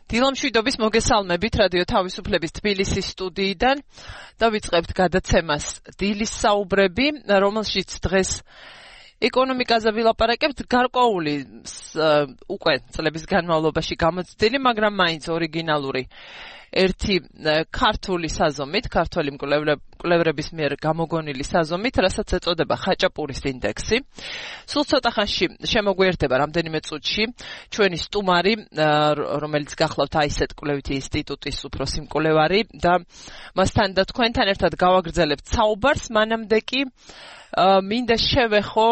დილამშვიდობის მოგესალმებით რადიო თავისუფლების თბილისის სტუდიიდან და ვიწყებთ გადაცემას დილის საუბრები, რომელშიც დღეს ეკონომიკაზე ვილაპარაკებთ გარკვეული უკვე წლების განმავლობაში გამოცდილი, მაგრამ მაინც ორიგინალური ერთი ქართული საზომით, ქართველი მკვლევრების მიერ გამოგონილი საზომით, რასაც ეწოდება ხაჭაპურის ინდექსი. სულ ცოტა ხანში შემოგვიერთდება რამდენიმე წუთში ჩვენი სტუმარი, რომელიც გახლავთ აისეტ კვლევითი ინსტიტუტის უფროსი მკვლევარი და მასთან და თქვენთან ერთად გავაგრძელებთ საუბარს, მანამდე კი მინდა შევეხო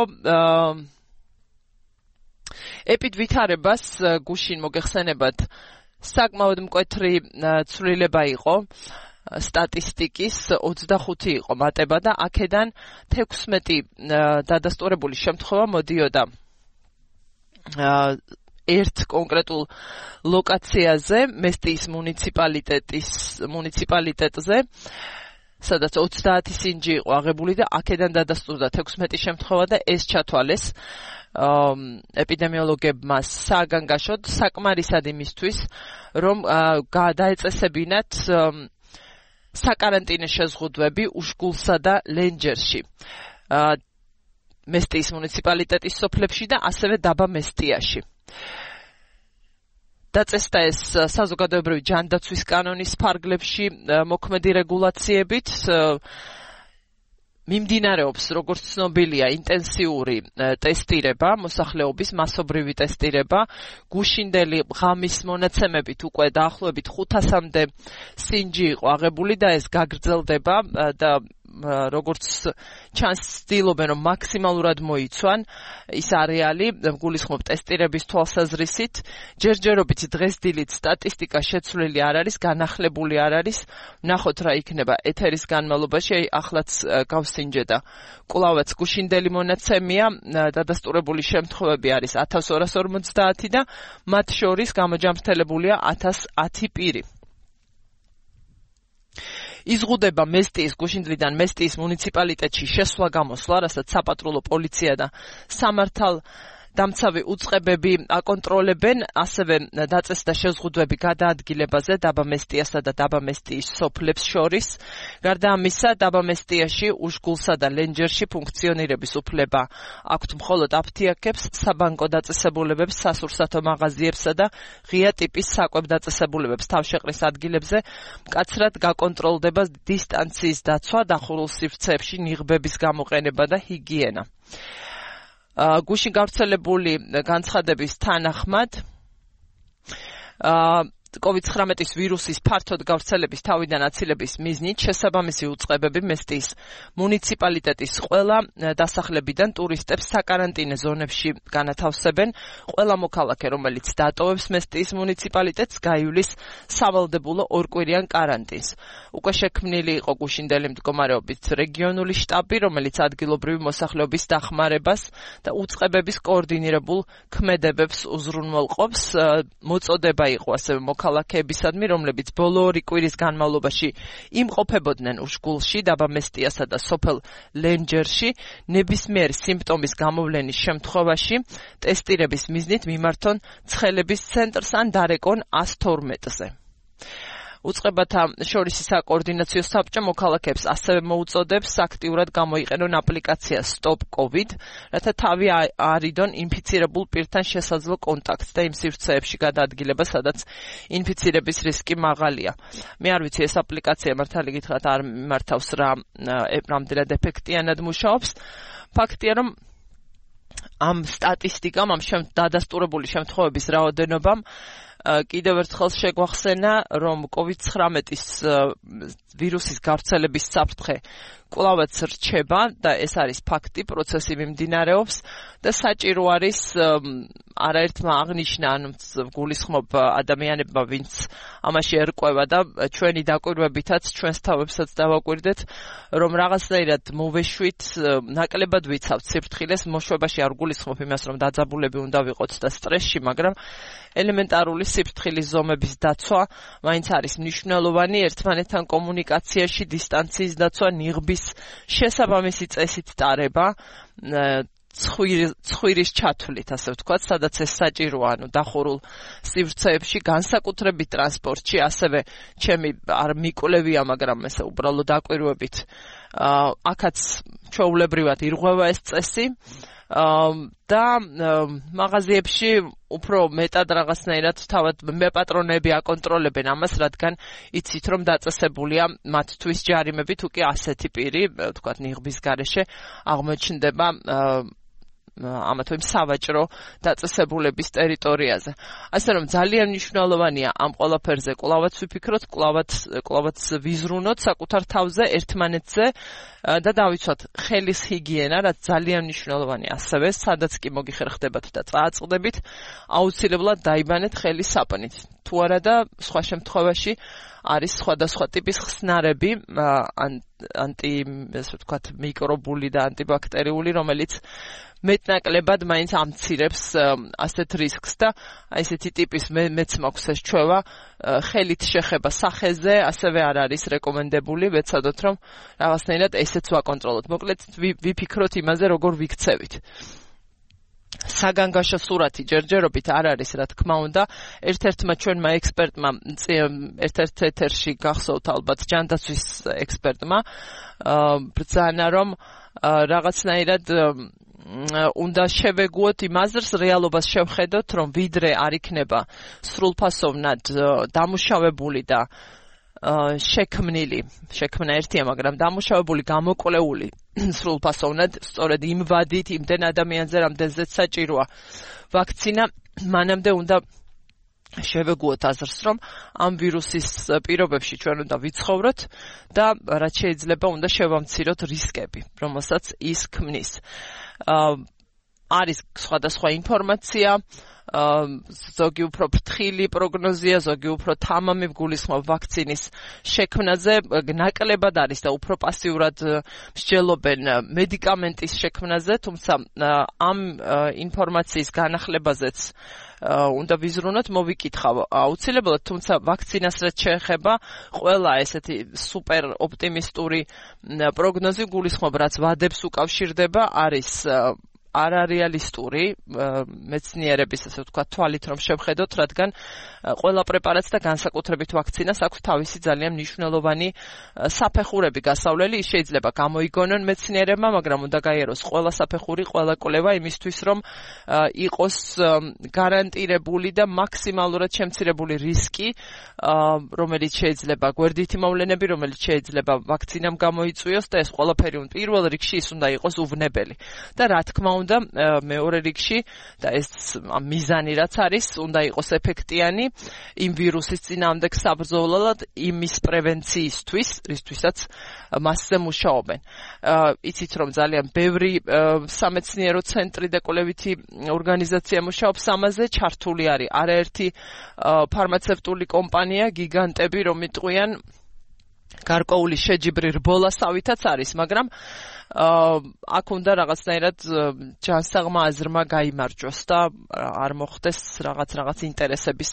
ეპიდვითარებას გუშინ მოგეხსენებათ საკმაოდ მკვეთრი ცვლილება იყო სტატისტიკის 25 იყო მატება და აქედან 16 დადასტურებული შემთხვევა მოდიოდა ერთ კონკრეტულ ლოკაციაზე, მესტიის მუნიციპალიტეტზე, სადაც 30 სინჯი იყო აღებული და აქედან დადასტურდა 16 შემთხვევა და ეს ჩათვალეს ეპიდემიოლოგებმა საგანგაშოდ საკმარისად იმისთვის, რომ დაეწესებინათ საკარანტინო შეზღუდვები უშგულსა და ლენჯერში, მესტიის მუნიციპალიტეტის სოფლებში და ასევე დაბა მესტიაში. დაწესდა ეს საზოგადოებრივი ჯანდაცვის კანონის ფარგლებში მოქმედი რეგულაციებით, მიმდინარეობს, როგორც ცნობილია, ინტენსიური ტესტირება, მოსახლეობის მასობრივი ტესტირება, გუშინდელი ღამის მონაცემებით უკვე დაახლოებით 500-მდე სინჯი იყო აღებული და ეს გაგრძელდება და როგორც ჩანს ცდილობენ, რომ მაქსიმალურად მოიცვან ის არეალი, გულისხმობ ტესტირების თვალსაზრისით, ჯერჯერობით დღესდილით სტატისტიკა შეცვლილი არ არის, განახლებული არ არის, ნახოთ რა იქნება ეთერის განმავლობაში, ახლაც გავსინჯედა. კვლავაც გუშინდელი მონაცემია, დადასტურებული შემთხვევები არის 1250 და მათ შორის გამოჯამრთელებულია 1010 პირი. იზღუდება მესტიის გუშინდლიდან მესტიის მუნიციპალიტეტში შესვლა-გამოსვლა, რასაც საპატრულო პოლიცია და სამართალდამცავი უწყებები აკონტროლებენ, ასევე დაწესდა შეზღუდვები გადაადგილებაზე დაბა მესტიასა და დაბა მესტიის სოფლებს შორის. გარდა ამისა, დაბა მესტიაში, უშგულსა და ლენჯერში ფუნქციონირების უფლება აქვთ მხოლოდ აფთიაქებს, საბანკო დაწესებულებებს, სასურსათო მაღაზიებსა და ღია ტიპის საკვებ დაწესებულებებს თავშეყრის ადგილებზე მკაცრად გაკონტროლდება დისტანციის დაცვა, დახურულ სივრცეებში ნიღბების გამოყენება და ჰიგიენა. გუშინ გავრცელებული განცხადების თანახმად COVID-19 ვირუსის ფართოდ გავრცელების თავიდან აცილების მიზნით შესაბამისი უწყებები მესტიის მუნიციპალიტეტის ყველა დასახლებიდან ტურისტებს საკარანტინო ზონებში განათავსებენ. ყველა მოქალაქე, რომელიც დატოვებს მესტიის მუნიციპალიტეტს, გაივლის სავალდებულო ორკვირიან კარანტინს. უკვე შექმნილი იყო გუშინდელი მდგომარეობით რეგიონული შტაბი, რომელიც ადგილობრივი მოსახლეობის დახმარებას და უწყებების კოორდინირებულ ქმედებებს უზრუნველყოფს. მოწოდება იყო ასევე ქალაქებისადმი, რომლებიც ბოლო 2 კვირის განმავლობაში იმყოფებოდნენ უშგულში, დაბა მესტიასა და სოფელ ლენჯერში, ნებისმიერი სიმპტომის გამოვლენის შემთხვევაში ტესტირების მიზნით მიმართონ ცხელების ცენტრს ან დარეკონ 112-ზე. უწყებათა შორისი საკოორდინაციო საბჭო მოქალაქეებს ასევე მოუწოდებს აქტიურად გამოიყენონ აპლიკაცია Stop COVID, რათა თავი არიდონ ინფიცირებულ პირთან შესაძლო კონტაქტს და იმ სივრცეებში გადაადგილება, სადაც ინფიცირების რისკი მაღალია. მე არ ვიცი, ეს აპლიკაცია მართალი გითხრათ არ მართავს რამდენად ეფექტიანად მუშაობს. ფაქტია, რომ ამ სტატისტიკამ, ამ დადასტურებული შემთხვევების რაოდენობამ კიდევ ერთხელ შეგვახსენა, რომ COVID-19 ვირუსის გავრცელების საფრთხე კვლავაც რჩება და ეს არის ფაქტი, პროცესი მიმდინარეობს და საჭირო არის არაერთმა აღნიშნა, ანუ გულისხმობ ადამიანებმა, ვინც ამაში ერკვევა და ჩვენი დაკვირვებითაც ჩვენს თავებსაც დავაკვირდეთ, რომ რაღაცნაირად მოვეშვით, ნაკლებად ვიცავთ სიფრთხილეს, მოშვებაში არ გულისხმობ იმას, რომ დაძაბულები უნდა ვიყოთ და სტრესში, მაგრამ ელემენტარული სიფრთხილის ზომების დაცვა მაინც არის მნიშვნელოვანი, ერთმანეთთან კომუნიკაციაში დისტანციის დაცვა, ნიღბის შესაბამისი წესით ტარება, ცხვირის ჩათვლით, ასე ვთქვათ, სადაც ეს საჭიროა, დახურულ სივრცეებში, განსაკუთრებით ტრანსპორტში, ასევე ჩემი არ მიკვლევია, მაგრამ ესე უბრალოდ დაკვირვებით აქაც ჩვეულებრივად ირღვევა ეს წესი. და მაღაზიებში უფრო მეტად რაღაცნაირად თავად მეპატრონები აკონტროლებენ ამას, რადგან იცით რომ დაწესებულია მათთვის ჯარიმები, თუ კი ასეთი პირი, ვთქვათ, ნიღბის გარეშე აღმოჩნდება ამა თუ იმ სავაჭრო დაწესებულების ტერიტორიაზე. ასე რომ ძალიან მნიშვნელოვანია ამ ყველაფერზე კვლავაც ვიფიქროთ, კვლავაც ვიზრუნოთ საკუთარ თავზე, ერთმანეთზე და დავიცვათ ხელის ჰიგიენა, რაც ძალიან მნიშვნელოვანია. ასევე, სადაც კი მოგიხერხდებათ და წააწყდებით, აუცილებლად დაიბანეთ ხელის საპნით. თუ არა და სხვა შემთხვევაში არის სხვადასხვა ტიპის ხსნარები, ასე ვთქვათ, მიკრობული და ანტიბაქტერიული, რომელიც მეტნაკლებად მაინც ამცირებს ასეთ რისკს და ესეთი ტიპის მეც მაქვს ეს ჩვევა ხელით შეხება სახეზე, ასევე არ არის რეკომენდებული, ვეცადოთ რომ რაღაცნაირად ესეც ვაკონტროლოთ. მოკლედ ვიფიქროთ იმაზე, როგორ ვიქცევით. საგანგაშო სურათი ჯერჯერობით არ არის, რა თქმა უნდა. ერთ-ერთმა ჩვენმა ექსპერტმა ერთ-ერთ ეთერში გახსოვთ ალბათ ჯანდაცვის ექსპერტმა ბრძანა, რომ რაღაცნაირად უნდა შევეგუოთ იმ აზრს, რეალობას შევხედოთ, რომ ვიდრე არ იქნება სრულფასოვნად დამუშავებული და შექმნა ერთია, მაგრამ დამუშავებული, გამოკვლეული სრულფასოვნად, სწორედ იმ ვადით, იმდენ ადამიანზე, რამდენზეც საჭიროა ვაქცინა, მანამდე უნდა შევეგუოთ აზრს, რომ ამ ვირუსის პირობებში ჩვენ უნდა ვიცხოვროთ და რაც შეიძლება უნდა შევამციროთ რისკები, რომელსაც ის ქმნის. არის სხვადასხვა ინფორმაცია, ზოგი უფრო ფრთხილი პროგნოზია, ზოგი უფრო თამამი გულისხმობ ვაქცინის შექმნაზე, ნაკლებად არის და უფრო პასიურად მსჯელობენ მედიკამენტის შექმნაზე, თუმცა ამ ინფორმაციის განახლებაზეც უნდა ვიზრუნოთ, მოვიკითხავ აუცილებლად, თუმცა ვაქცინას რაც შეეხება, ყველა ესეთი სუპერ ოპტიმისტური პროგნოზი გულისხმობ, რაც ვადებს უკავშირდება, არის არარეალისტური მეცნიერების, ასე ვთქვათ, თვალით რომ შევხედოთ, რადგან ყველა პრეპარატს და განსაკუთრებით ვაქცინას აქვს თავისი ძალიან მნიშვნელოვანი საფეხურები გასავლელი. ის შეიძლება გამოიგონონ მეცნიერებმა, მაგრამ უნდა გაიაროს ყველა საფეხური, ყველა კვლევა იმისთვის, რომ იყოს გარანტირებული და მაქსიმალურად შემცირებული რისკი, რომელიც შეიძლება გვერდითი მოვლენები, რომელიც შეიძლება ვაქცინამ გამოიწვიოს და ეს ყველაფერი პირველ რიგში ის უნდა იყოს უვნებელი. და რა თქმა უნდა, მეორე რიგში და ეს მიზანი რაც არის, უნდა იყოს ეფექტიანი იმ ვირუსის წინააღმდეგ საბრძოლველად, იმის პრევენციისთვის, რისთვისაც მასზე მუშაობენ. იცით რომ ძალიან ბევრი სამეცნიერო ცენტრი და კვლევითი ორგანიზაცია მუშაობს ამაზე, ჩართული არის არაერთი ფარმაცევტული კომპანია, გიგანტები, რომ იტყვიან გარკვეული შეჯიბრი რბოლასავითაც არის, მაგრამ აქ უნდა რაღაცნაირად ჯანსაღმა აზრმა გაიმარჯვოს და არ მოხდეს რაღაც ინტერესების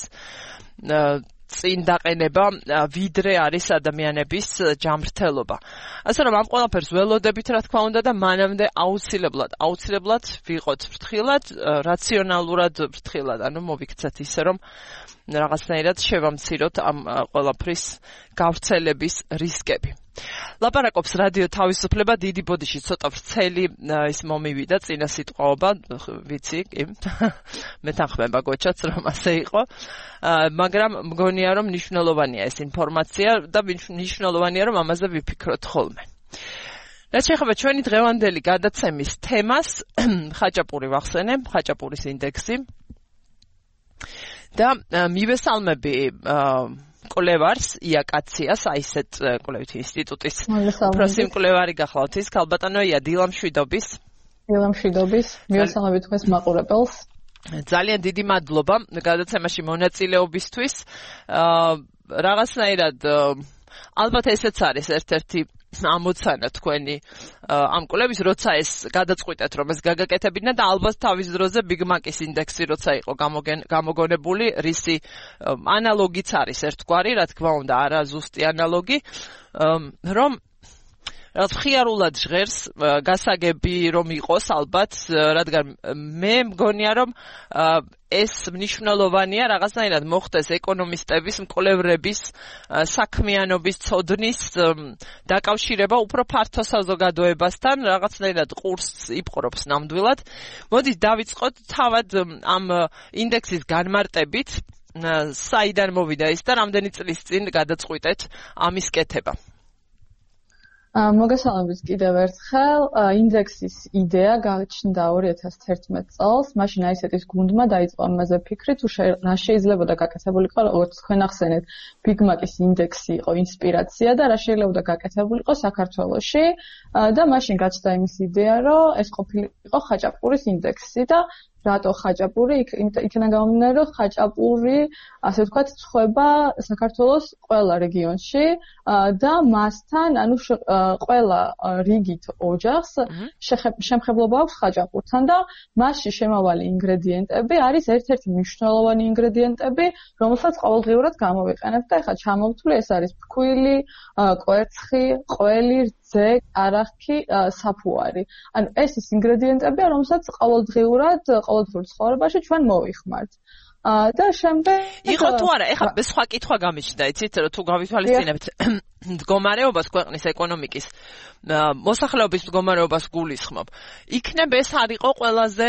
წინ დაყენება, ვიდრე არის ადამიანების ჯანმრთელობა. ასე რომ ამ ყველაფერს ველოდებით, რა თქმა უნდა, და მანამდე აუცილებლად ვიყოთ ფრთხილად, რაციონალურად ფრთხილად, ანუ მოვიქცეთ ისე, რომ რაღაცნაირად შევამციროთ ამ ყველაფრის გავრცელების რისკები. ლაპარაკობს რადიო თავისუფლება, დიდი ბოდიში ცოტა ვრცელი ის მომივიდა წინა სიტყვაობა, ვიცი, კი. მეთანხმება გოჩაც რომ ასე იყო, მაგრამ მგონია რომ მნიშვნელოვანია ეს ინფორმაცია და მნიშვნელოვანია რომ ამაზე ვიფიქროთ ხოლმე. რაც შეეხება ჩვენი დღევანდელი გადაცემის თემას, ხაჭაპური ვახსენე, ხაჭაპურის ინდექსი და მივესალმები კვლევარს, იაკაციას, აისეთ კვლევითი ინსტიტუტის უფროსი მკვლევარი გახლავთ ის, ქალბატონოია დილამშვიდობის. მივესალმები თქვენს მაყურებელს. ძალიან დიდი მადლობა გადაცემაში მონაწილეობისთვის. რაღაცნაირად ალბათ ესეც არის ერთ-ერთი ამოცანა თქვენი ამ კვლევის, როცა ეს გადაწყვიტეთ, რომ ეს გაგაკეთებინა და ალბათ თავის დროზე ბიგმაკის ინდექსი როცა იყო გამოგონებული, რისი ანალოგიც არის ერთგვარი, რა თქმა უნდა, არა ზუსტი ანალოგი, რომ რაღაც ხიარულად ჟღერს, გასაგები რომ იყოს ალბათ, რადგან მე მგონია რომ ეს მნიშვნელოვანია რაღაცნაირად მოხდეს ეკონომისტების, მკვლევრების, საქმიანობის ცოდნის დაკავშირება უფრო ფართო საზოგადოებასთან, რაღაცნაირად ყურს იპყრობს ნამდვილად. მოდით დავიწყოთ თავად ამ ინდექსის განმარტებით, საიდან მოვიდა ის და რამდენი წლის წინ გადაწყვიტეთ ამის კეთება. მოგესალმებით კიდევ ერთხელ. ინდექსის იდეა გაჩნდა 2011 წელს. მაშინ აისეტის გუნდმა დაიწყო ამაზე ფიქრი, თუ რა შეიძლებოდა გაკეთებულიყო, როგორც თქვენ ახსენეთ, ბიგმაკის ინდექსი იყო ინსპირაცია და რა შეიძლებოდა გაკეთებულიყო საქართველოში და მაშინ გაჩნდა იმის იდეა, რომ ეს ყოფილიყო ხაჭაპურის ინდექსი და რატო ხაჭაპური? იქიდან გამომდინარე, რომ ხაჭაპური, ასე ვთქვათ, ცხება საქართველოს ყველა რეგიონში და მასთან, ანუ ყველა რიგით ოჯახს შემხებლობა აქვს ხაჭაპურთან და მასში შემავალი ინგრედიენტები არის ერთ-ერთი მნიშვნელოვანი ინგრედიენტები, რომელსაც ყოველდღიურად გამოვიყენებთ და ეხლა ჩამოვთვლი, ეს არის ფქვილი, კვერცხი, ყველი, რძე, არახი, საფუარი. ანუ ეს ის ინგრედიენტებია, რომელსაც ყოველდღიურად ყოველდღიურ ცხოვრებაში ჩვენ მოვიხმართ. და შემდეგ იყო თუ არა, ეხლა სხვა კითხვა გამიჩნდა, იცით, თუ გავითვალისწინებთ მდგომარეობას ქვეყნის ეკონომიკის, მოსახლეობის მდგომარეობას გულისხმობ. იქნებ ეს არ იყო ყველაზე,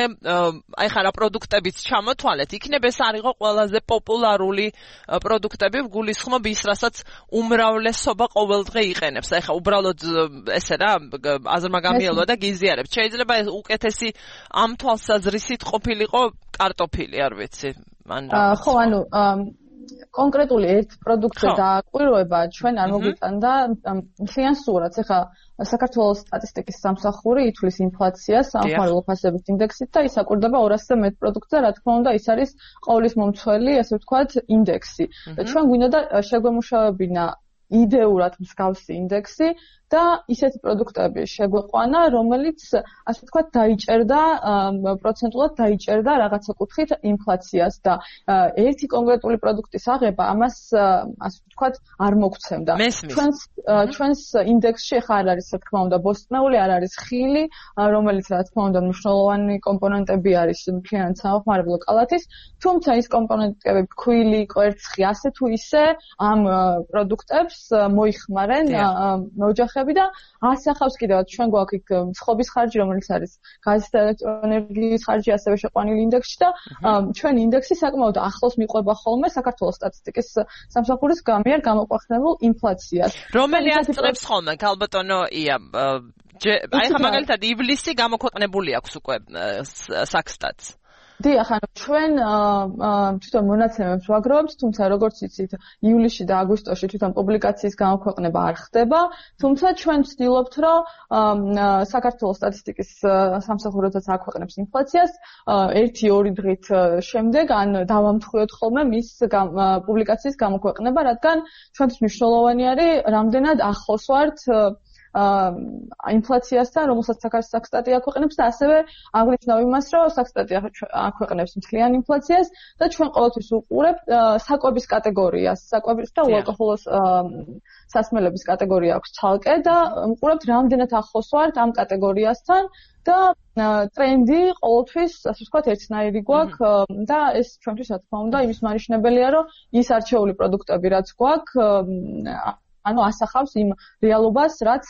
აი ხარა პროდუქტებიც ჩამოთვალეთ, იქნებ ეს არ იყო ყველაზე პოპულარული პროდუქტები, გულისხმობ ის, რასაც უმრავლესობა ყოველდღე იყენებს. აი ხა უბრალოდ ესე რა, აზრმაგამიელვა და გიზიარებს. შეიძლება ეს უკეთესი ამ თვალსაზრისით ყოფილიყო კარტოფილი, არ ვიცი. ხო, ანუ კონკრეტული ერთ პროდუქტზე დააკვირვება ჩვენ არ მოგვიტანდა მთლიან სურათს. ეხლა საქართველოს სტატისტიკის სამსახური ითვლის ინფლაციას სამხმარებლო ფასების ინდექსით და ის აკვირდება 200-ზე მეტ პროდუქტზე, რა თქმა უნდა, ის არის ყოვლის მომცველი, ასე ვთქვათ, ინდექსი. ჩვენ გვინდა შეგვემუშავებინა იდეურად მსგავსი ინდექსი და ისეთი პროდუქტები შეგვეყვანა, რომელიც, ასე ვთქვათ, დაიჭერდა პროცენტულად დაიჭერდა რაღაცა კუთხით ინფლაციას და ერთი კონკრეტული პროდუქტის აღება ამას, ასე ვთქვათ, არ მოგცემდა. ჩვენს ინდექსში ახლა არ არის, რა თქმა უნდა, ბოსტნეული, არ არის ხილი, რომელიც, რა თქმა უნდა, მნიშვნელოვანი კომპონენტები არის მთლიანად სამხმარებლო კალათის, თუმცა ის კომპონენტები, ფქვილი, კვერცხი, ასე თუ ისე ამ პროდუქტებს მოიხმარენ ოჯახები და ასახავს კიდევ ჩვენ გვაქვს იქ ცხობის ხარჯი, რომელიც არის გაზის და ელექტროენერგიის ხარჯი, ასევე შეყვანილი ინდექსში და ჩვენ ინდექსი საკმაოდ ახლოს მიყვება ხოლმე საქართველოს სტატისტიკის სამსახურის მიერ გამოყვანილ ინფლაციას. რომელი ასწრებს ხოლმე, ქალბატონო ია, აი ხა მაგალითად ივლისი გამოქვეყნებული აქვს უკვე საქსტატს. დიახ, ანუ ჩვენ თვითონ მონაცემებს ვაგროვებთ, თუმცა როგორც იცით, ივლისში და აგვისტოში თვითონ პუბლიკაციის გამოქვეყნება არ ხდება, თუმცა ჩვენ ვცდილობთ, რომ საქართველოს სტატისტიკის სამსახუროსაც აქვეყნებს ინფლაციას 1-2 დღით შემდეგ, ან დავამთხვიოთ ხოლმე მის პუბლიკაციის გამოქვეყნება, რადგან ჩვენთვის მნიშვნელოვანი არის, რამდენად ახლოს ვართ ინფლაციასთან, რომელსაც საქსტატი აქვეყნებს და ასევე აღნიშნავ იმას, რომ საქსტატი აქვეყნებს მთლიან ინფლაციას და ჩვენ ყოველთვის უყურებთ საკვების კატეგორიას, საკვების და უალკოჰოლოს სასმელების კატეგორია აქვს ცალკე და უყურებთ რამდენად ახლოს ვართ ამ კატეგორიასთან და ტრენდი ყოველთვის, ასე ვთქვათ, ერთნაირი გვაქვს და ეს ჩვენთვის, რა თქმა უნდა, იმის მანიშნებელია, რომ ის არჩეული პროდუქტები, რაც გვაქვს, ანუ ასახავს იმ რეალობას, რაც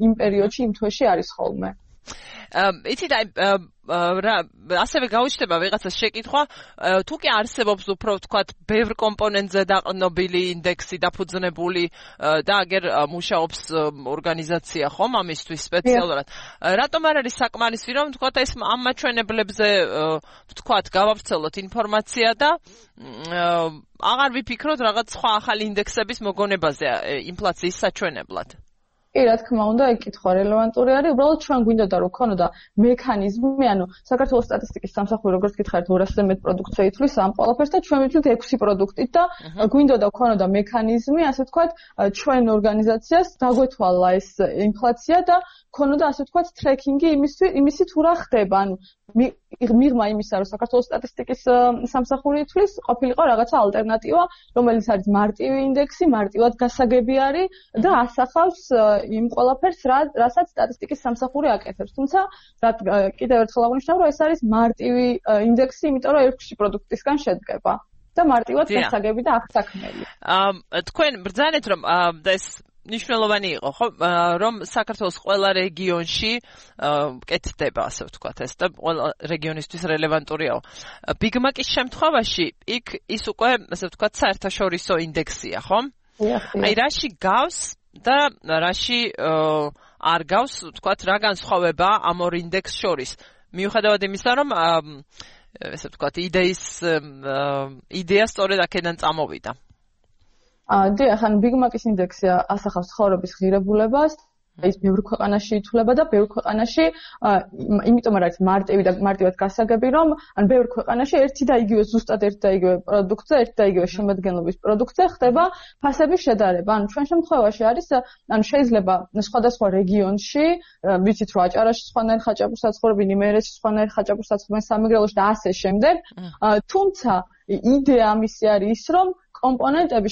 იმ პერიოდში, იმ თვეში არის ხოლმე. იცით, ასევე გაუჩნდება ვიღაცას შეკითხვა, თუ კი არსებობს უფრო ვთქვათ, ბევრ კომპონენტზე დაყრდნობილი ინდექსი დაფუძნებული და აგერ მუშაობს ორგანიზაცია ხომ ამისთვის სპეციალურად. რატომ არ არის საკმარისი, რომ ვთქვათ, ეს ამ მაჩვენებლებზე ვთქვათ, გავავრცელოთ ინფორმაცია და აღარ ვიფიქროთ რაღაც სხვა ახალი ინდექსების მოგონებაზე ინფლაციის საჩვენებლად? კი, რა თქმა უნდა, ეგ კითხვა რელევანტური არის. უბრალოდ ჩვენ გვინდოდა რომ ქონოდა მექანიზმი, ანუ საქართველოს სტატისტიკის სამსახური როგორც გითხარით 200-ზე მეტ პროდუქტს ითვლის ამ ყველაფერს და ჩვენ ვიტყვით 6 პროდუქტით და გვინდოდა ქონოდა მექანიზმი, ასე ვთქვათ, ჩვენ ორგანიზაციას დაგვეთვალა ეს ინფლაცია და ქონოდა ასე ვთქვათ ტრეკინგი იმისი თუ რა ხდება, ანუ მიღმა იმისა, რომ საქართველოს სტატისტიკის სამსახური ითვლის, ყოფილიყო რაღაცა ალტერნატივა, რომელიც არის მარტივი ინდექსი, მარტივად გასაგები არის და ასახავს იმ ყველაფერს, რასაც სტატისტიკის სამსახური აკეთებს. თუმცა, კიდევ ერთხელ აღნიშნავ, რომ ეს არის მარტივი ინდექსი, იმიტომ რომ 6 პროდუქტისგან შედგება. და მარტივად გასაგები და აღსაქმელი. თქვენ ბრძანეთ რომ და ეს ნიშნულოვანი იყო, ხო, რომ საქართველოს ყველა რეგიონში კეთდება, ასე ვთქვათ, ეს და ყველა რეგიონისთვის რელევანტურიაო. Big Mac-ის შემთხვევაში იქ ის უკვე, ასე ვთქვათ, საერთაშორისო ინდექსია, ხო? აი რაში გავს და რაში არ გავს, ვთქვათ, რა განსხვავება ამ ორ ინდექსს შორის? მიუხედავად იმისა, რომ ესე ვთქვათ, იდეა სწორედ აქედან წამოვიდა. დიახ, ან Big Mac-ის ინდექსი ასახავს ცხოვრების ღირებულებას, ის ბევრ ქვეყანაში ითვლება და ბევრ ქვეყანაში, იმიტომ რომ არის მარტივი და მარტივად გასაგები, რომ ან ბევრ ქვეყანაში ერთი და იგივე ზუსტად ერთი და იგივე პროდუქტზე, ერთი და იგივე შემადგენლობის პროდუქტზე ხდება ფასების შედარება. ან ჩვენ შემთხვევაში არის, ან შეიძლება სხვადასხვა რეგიონში, ვიცით რომ აჭარაში სხვანაირ ხაჭაპურს აცხოვრებენ, იმერეთში სხვანაირ ხაჭაპურს აცხოვრებენ, სამეგრელოში და ასე შემდეგ. თუმცა იდეა ამისი არის ის, რომ კომპონენტები,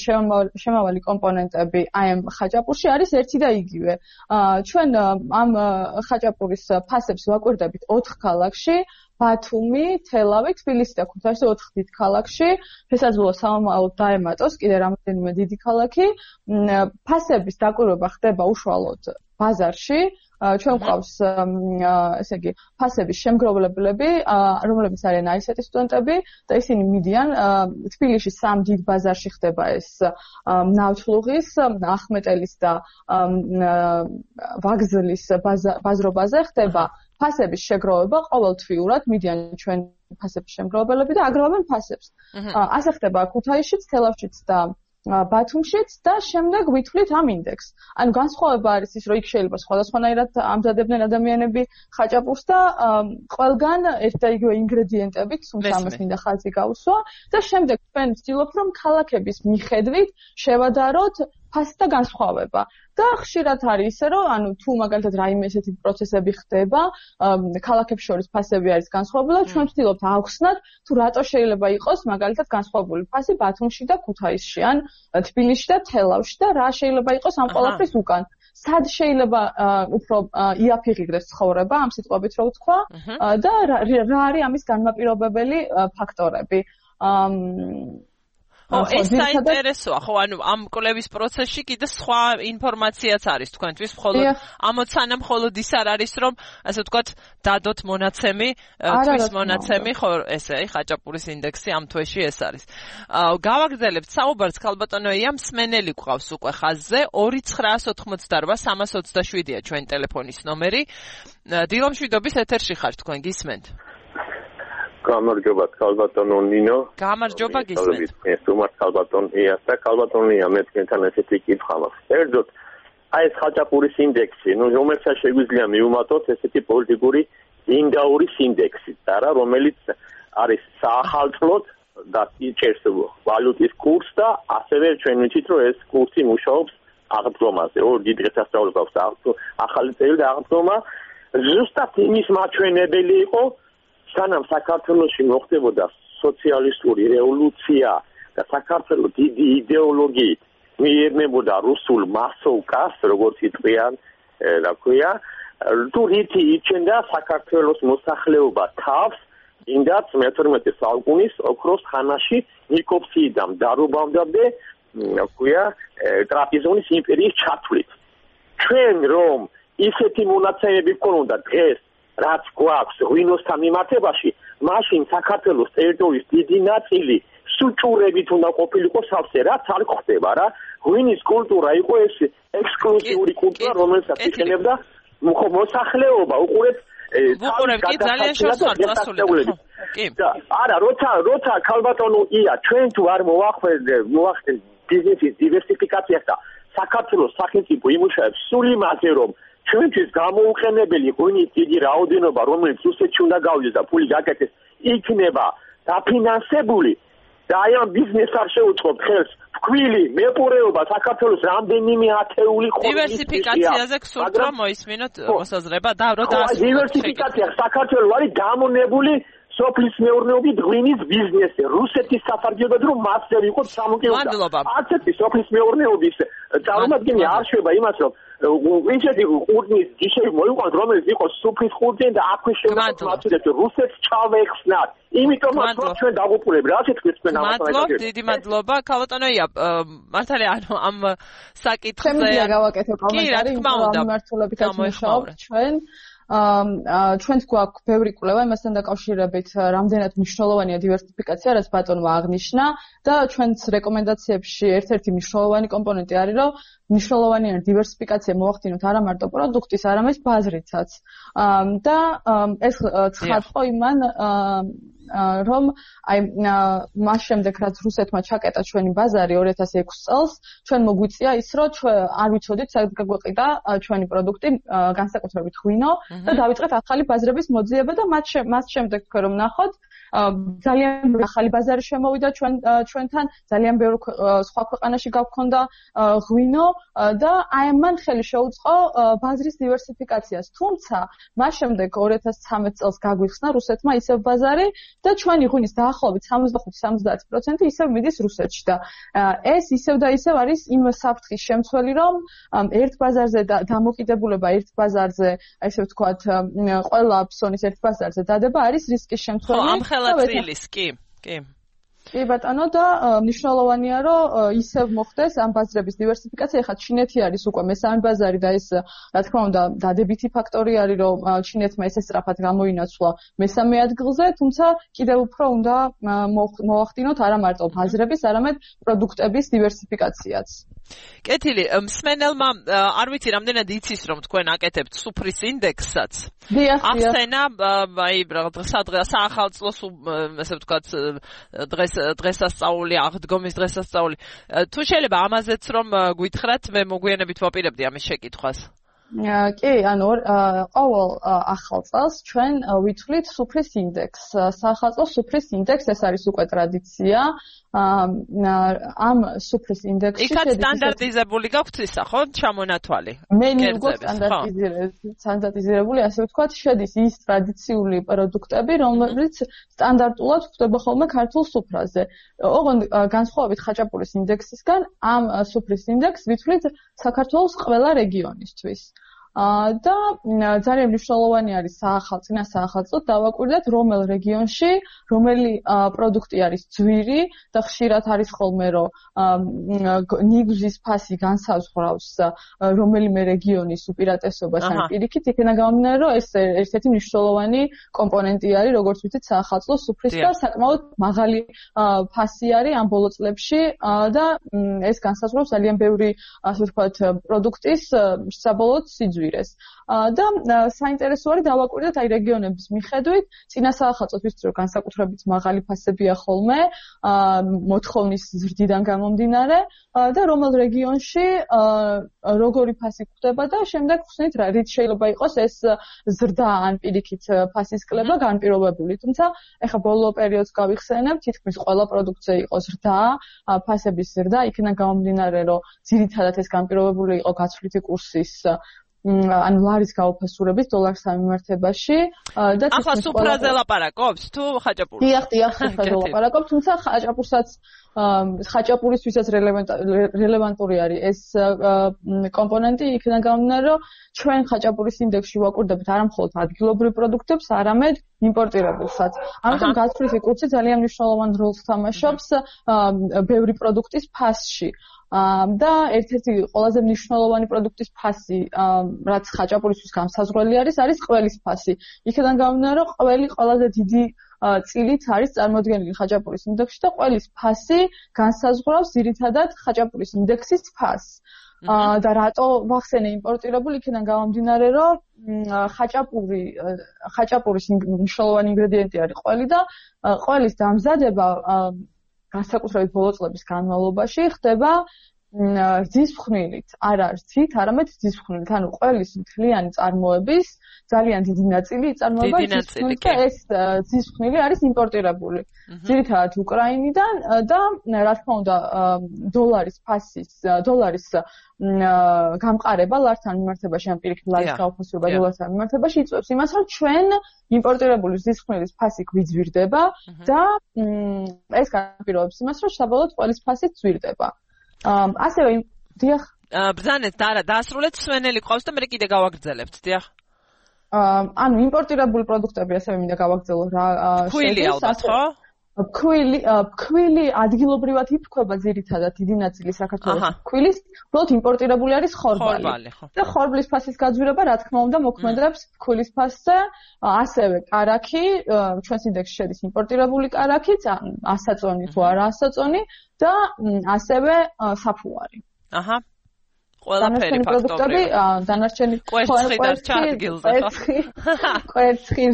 შემავალი კომპონენტები აი ამ ხაჭაპურში არის ერთი და იგივე. ჩვენ ამ ხაჭაპურის ფასებს ვაკვირდებით 4 ქალაქში, ბათუმი, თელავი, თბილისი და ქუთაისი 4 დიდ ქალაქში, შესაძლოა სამომავლოდ დაემატოს კიდე რამდენიმე დიდი ქალაქი. ფასების დაკვირვება ხდება უშუალოდ ბაზარში. ჩვენ გვყავს ესე იგი ფასების შემგროვებლები, რომლებიც არიან აისეტის სტუდენტები და ისინი მიდიან თბილისში 3 დიდ ბაზარში ხდება ეს ნავთლუღის, ახმეტელის და ვაგზლის ბაზრობაზე ხდება ფასების შეგროვება ყოველთვიურად მიდიან ჩვენ ფასების შემგროვებლები და აგროვებენ ფასებს. ასე ხდება ქუთაისშიც, თელავშიც და ბათუმშიც და შემდეგ ვითვლით ამ ინდექსს. ანუ განსხვავება არის ის, რომ იქ შეიძლება სხვადასხვანაირად ამზადებდნენ ადამიანები ხაჭაპურს და ყველგან ერთ და იგივე ინგრედიენტებით, თუმცა ამას მინდა ხაზი გავუსვა და შემდეგ ჩვენ ვცდილობთ, რომ ქალაქების მიხედვით შევადაროთ ფასთა განსხვავება. და ხშირად არის ისე, რომ ანუ თუ მაგალითად რაიმე ესეთი პროცესები ხდება, ქალაქებს შორის ფასები არის განსხვავებული, ჩვენ ვცდილობთ ავხსნათ, თუ რატო შეიძლება იყოს მაგალითად განსხვავებული ფასი ბათუმში და ქუთაისში, ან თბილისში და თელავში და რა შეიძლება იყოს ამ ყველაფრის უკან. სად შეიძლება უფრო იაფიღებდეს ცხოვრება, ამ სიტყვებით რო ვთქვა, და რა არის ამის განმაპირობებელი ფაქტორები. ეს საინტერესოა, ხო, ანუ ამ კვლევის პროცესში კიდე სხვა ინფორმაციაც არის თქვენთვის, მხოლოდ ამოცანა მხოლოდ ის არ არის, რომ ასე ვთქვათ, დადოთ მონაცემი, თვის მონაცემი, ხო, ესე, ხაჭაპურის ინდექსი ამ თვეში ეს არის. გავაგრძელებთ საუბარს, ქალბატონო ია, მსმენელი გვყავს უკვე ხაზზე, 2988-327-ია ჩვენ ტელეფონის ნომერი. დილომშვიდობის ეთერში ხართ თქვენ, გისმენთ? გამარჯობა, ქალბატონო ნინო. გამარჯობა, გისმენთ. ეს თუმცა ქალბატონია და ქალბატონია მე თქვენთან ესეთი კითხვა მაქვს. ერთოდ აი ეს ხაჭაპურის ინდექსი, რომელსაც შეგვიძლია მივუმატოთ ესეთი პოლიტიკური ინდაურის ინდექსი, არა, რომელიც არის საახალწლოდ და იჭერს ვალუტის კურსს და ასევე ჩვენ ვიცით, რომ ეს კურსი მუშაობს აღდგომაზე. ორ დიდ დღესასწაულს აქვს ახალი წელი და აღდგომა ზუსტად იმის მაჩვენებელი იყო, სანამ საქართველოში მოხდებოდა სოციალისტური რევოლუცია და საქართველოს დიდი იდეოლოგიით მიემებოდა რუსულ მასოვკას, როგორც იტყვიან, რა ქვია, თუ რითი იჩენდა საქართველოს მოსახლეობა თავს, იმდაც მე-12 საუკუნის ოქროს ხანაში ნიკოფსიიდან დარობამდე, რა ქვია, ტრაპიზონის იმპერიის ჩათვლით. ჩვენ რომ ისეთი მონაცემები გქონდა დღეს რაც გვაქვს ღვინოსთან მიმართებაში, მაშინ საქართველოს ტერიტორიის დიდი ნაწილი სუჭურებით უნდა ყოფილიყო სავსე, რაც არ ხდება რა. ღვინის კულტურა იყო ეს ექსკლუზიური კულტურა, რომელსაც იყენებდა მოსახლეობა, უყურეთ ვუყურებთ ძალიან შესაძლებელი. არა, როცა ქალბატონო ია, ჩვენ თუ არ მოახდენთ ბიზნესის დივერსიფიკაციას და საქართველოს სახელმწიფო იმუშავებს სულ იმაზე, რომ ჩვენთვის გამოუყენებელი ღვინის დიდი რაოდენობა, რომელიც რუსეთში უნდა გავიდეს და ფული გაკეთდეს, იქნება დაფინანსებული და აი ამ ბიზნესს არ შეუწყობთ ხელს. თქვილი მეპურეობა საქართველოს რამდენიმე ათეული ხოთის დივერსიფიკაციაზე გსურთ რომ მოისმინოთ მოსაზრება და რომ დივერსიფიკაცია საქართველოს არის დამონებული სოფლის მეურნეობით ღვინის ბიზნესი რუსეთის საფარგებლოდ რომ მასზე ვიყოთ სამოკეუდა არცეთი სოფლის მეურნეობის წარმომადგენელი არ შვება იმას რომ ვინჩეთი ყურძნის ჯიშები მოიყვანს რომელიც იყოს სუფრის ყურძენი და აქვე შემოგვაწოდეთ რუსეთს ჩავეხსნათ იმიტომ რომ ჩვენ დაგუპულებ რა თქოს თქვენ ამას დიდი მადლობა ქალბატონოია მართალია ანუ ამ საკითხზე შემიძლია გავაკეთო კომენტარი მიმართულებით ამუშავებთ ჩვენ ჩვენს გვაქვს ბევრი კვლევა იმასთან დაკავშირებით რამდენად მნიშვნელოვანია დივერსიფიკაცია რაც ბატონმა აღნიშნა და ჩვენს რეკომენდაციებში ერთ-ერთი მნიშვნელოვანი კომპონენტი არის რომ მნიშვნელოვანია დივერსიფიკაცია მოახდინოთ არა მარტო პროდუქტის არამედ ბაზრიცაც და ეს ცხადყო იმან რომ აი მას შემდეგ რაც რუსეთმა ჩაკეტა ჩვენი ბაზარი 2006 წელს ჩვენ მოგვიწია ის რომ ჩვენ არ ვიცოდით სადაც გაგვეყიდა ჩვენი პროდუქტი განსაკუთრებით ღვინო და დავიწყეთ ახალი ბაზრების მოძიება და მას შემდეგ თქვენ რომ ნახოთ ძალიან ახალი ბაზარი შემოვიდა ჩვენთან ძალიან ბევრი სხვა ქვეყანაში გავქონდა ღვინო და აი მან ხელი შეუწყო ბაზრის დივერსიფიკაციას თუმცა მას შემდეგ 2013 წელს გაგვიხსნა რუსეთმა ისევ ბაზარი და ჩვენი ღვინის დაახლოებით 65-70% ისევ მიდის რუსეთში და ეს ისევ და ისევ არის იმ საფრთხის შემცველი რომ ერთ ბაზარზე დამოკიდებულება ერთ ბაზარზე ესე ვთქვათ ყველა ფსონის ერთ ბაზარზე დადება არის რისკის შემცველი კი ბატონო და მნიშვნელოვანია რომ ისევ მოხდეს ამ ბაზრების დივერსიფიკაცია ხა ჩინეთი არის უკვე მესამე ბაზარი და ეს რა თქმა უნდა დადებითი ფაქტორი არის რომ ჩინეთმა ესე სწრაფად გამოინაცვლა მესამე ადგილზე თუმცა კიდევ უფრო უნდა მოახდინოთ არა მარტო ბაზრების არამედ პროდუქტების დივერსიფიკაციაც კეთილი მსმენელმა არ ვიცი რამდენად იცის რომ თქვენ აკეთებთ სუფრის ინდექსსაც ახსენა აი დღესდღეა საახალწლოს ესე ვთქვათ დღესასწაული აღდგომის დღესასწაული თუ შეიძლება ამაზეც რომ გვითხრათ მე მოგვიანებით ვაპირებდი ამის შეკითხვას კი, ანუ ყოველ ახალ წელს ჩვენ ვითვლით სუფრის ინდექსს. საახალწლო სუფრის ინდექსი ეს არის უკვე ტრადიცია. ამ სუფრის ინდექსში იქაც სტანდარტიზებული გაქვთ ისა, ხო? ჩამონათვალი. მე მიგო სტანდარტიზირებული, ასე ვთქვათ, შედის ის ტრადიციული პროდუქტები, რომლებიც სტანდარტულად გვხვდება ხოლმე ქართულ სუფრაზე. ოღონდ განსხვავებით ხაჭაპურის ინდექსისგან, ამ სუფრის ინდექსს ვითვლით საქართველოს ყველა რეგიონისთვის. და ძალიან მნიშვნელოვანი არის საახალწლოდ დავაკვირდეთ რომელ რეგიონში რომელი პროდუქტი არის ძვირი და ხშირად არის ხოლმე რომ ნიგზის ფასი განსაზღვრავს რომელიმე რეგიონის უპირატესობას ან პირიქით იქნება გამომდინარე რომ ეს ერთ-ერთი მნიშვნელოვანი კომპონენტი არის როგორც ვიცით საახალწლო სუფრის და საკმაოდ მაღალი ფასი არის ამ ბოლო წლებში და ეს განსაზღვრავს ძალიან ბევრი ასე ვთქვათ პროდუქტის საბოლოო სიძვირეს და საინტერესო არის დავაკვირდეთ აი რეგიონების მიხედვით წინა საახალწლოთვის რომ განსაკუთრებით მაღალი ფასებია ხოლმე მოთხოვნის ზრდიდან გამომდინარე და რომელ რეგიონში როგორი ფასი გვხვდება და შემდეგ ხსნით რა რით შეიძლება იყოს ეს ზრდა ან პირიქით ფასის კლება განპირობებული თუმცა ეხა ბოლო პერიოდს გავიხსენებ თითქმის ყველა პროდუქტზე იყო ზრდა ფასების ზრდა იქიდან გამომდინარე რომ ძირითადად ეს განპირობებული იყო გაცვლითი კურსის ან ლარის გაუფასურების დოლარს სამიმართებაში და ახლა სუფრაზე ლაპარაკობს თუ ხაჭაპურს? დიახ, სუფრაზე ლაპარაკობს, თუმცა ხაჭაპურისთვისაც რელევანტური არის ეს კომპონენტი იქიდან გამომდინარე, რომ ჩვენ ხაჭაპურის ინდექსში ვაკვირდებით არა მხოლოდ ადგილობრივ პროდუქტებს, არამედ იმპორტირებულსაც. ამიტომ გაცვლითი კურსი ძალიან მნიშვნელოვან როლს თამაშობს ბევრი პროდუქტის ფასში. და ერთ-ერთი ყველაზე მნიშვნელოვანი პროდუქტის ფასი, რაც ხაჭაპურისთვის განსაზღვრელი არის ყველის ფასი. იქიდან გამომდინარე, რომ ყველი ყველაზე დიდი წილით არის წარმოდგენილი ხაჭაპურის ინდექსში და ყველის ფასი განსაზღვრავს ძირითადად ხაჭაპურის ინდექსის ფასს. და რატო ვახსენე იმპორტირებული იქიდან გამომდინარე, რომ ხაჭაპურის მნიშვნელოვანი ინგრედიენტი არის ყველი და ყველის დამზადება განსაკუთრებით ბოლო წლების განმავლობაში ხდება რძისხვნილით, არა რძით, არამედ რძისხვნილით, ანუ ყველის მთლიანი წარმოების ძალიან დიდი ნაწილი იწარმოება რძისხვნილით და ეს რძისხვნილი არის იმპორტირებული. ძირითადად უკრაინიდან და რა თქმა უნდა დოლარის გამყარება ლართან მიმართებაში, ან პირიქით ლარის გაუფასება დოლართან მიმართებაში იწვევს იმას, რომ ჩვენ იმპორტირებული რძისხვნილის ფასი გვიძვირდება და ეს განაპირობებს იმას, რომ საბოლოოდ ყველის ფასიც ძვირდება. ასევე დიახ. ბრძანეთ, დაასრულეთ სვენელი ყავს და მე კიდე გავაგრძელებთ, დიახ. ანუ იმპორტირებული პროდუქტები ასევე მინდა გავაგრძელო რა. ქვილი ალბათ, ხო? ქვილი ადგილობრივად იფრქვება ძირითადად დიდი ნაწილი საქართველოს ქვილის, უბრალოდ იმპორტირებული არის ხორბალი. და ხორბლის ფასის გაძვირება რა თქმა უნდა მოქმედებს ქვილის ფასზე, ასევე კარაქი, ჩვენს ინდექსში შედის იმპორტირებული კარაქიც, ასაწონი თუ არა ასაწონი და ასევე საფუარი. აჰა. ყველაფერი პროდუქტები, დანარჩენი კვერცხი და ჩარდგილზე, ხო? კვერცხი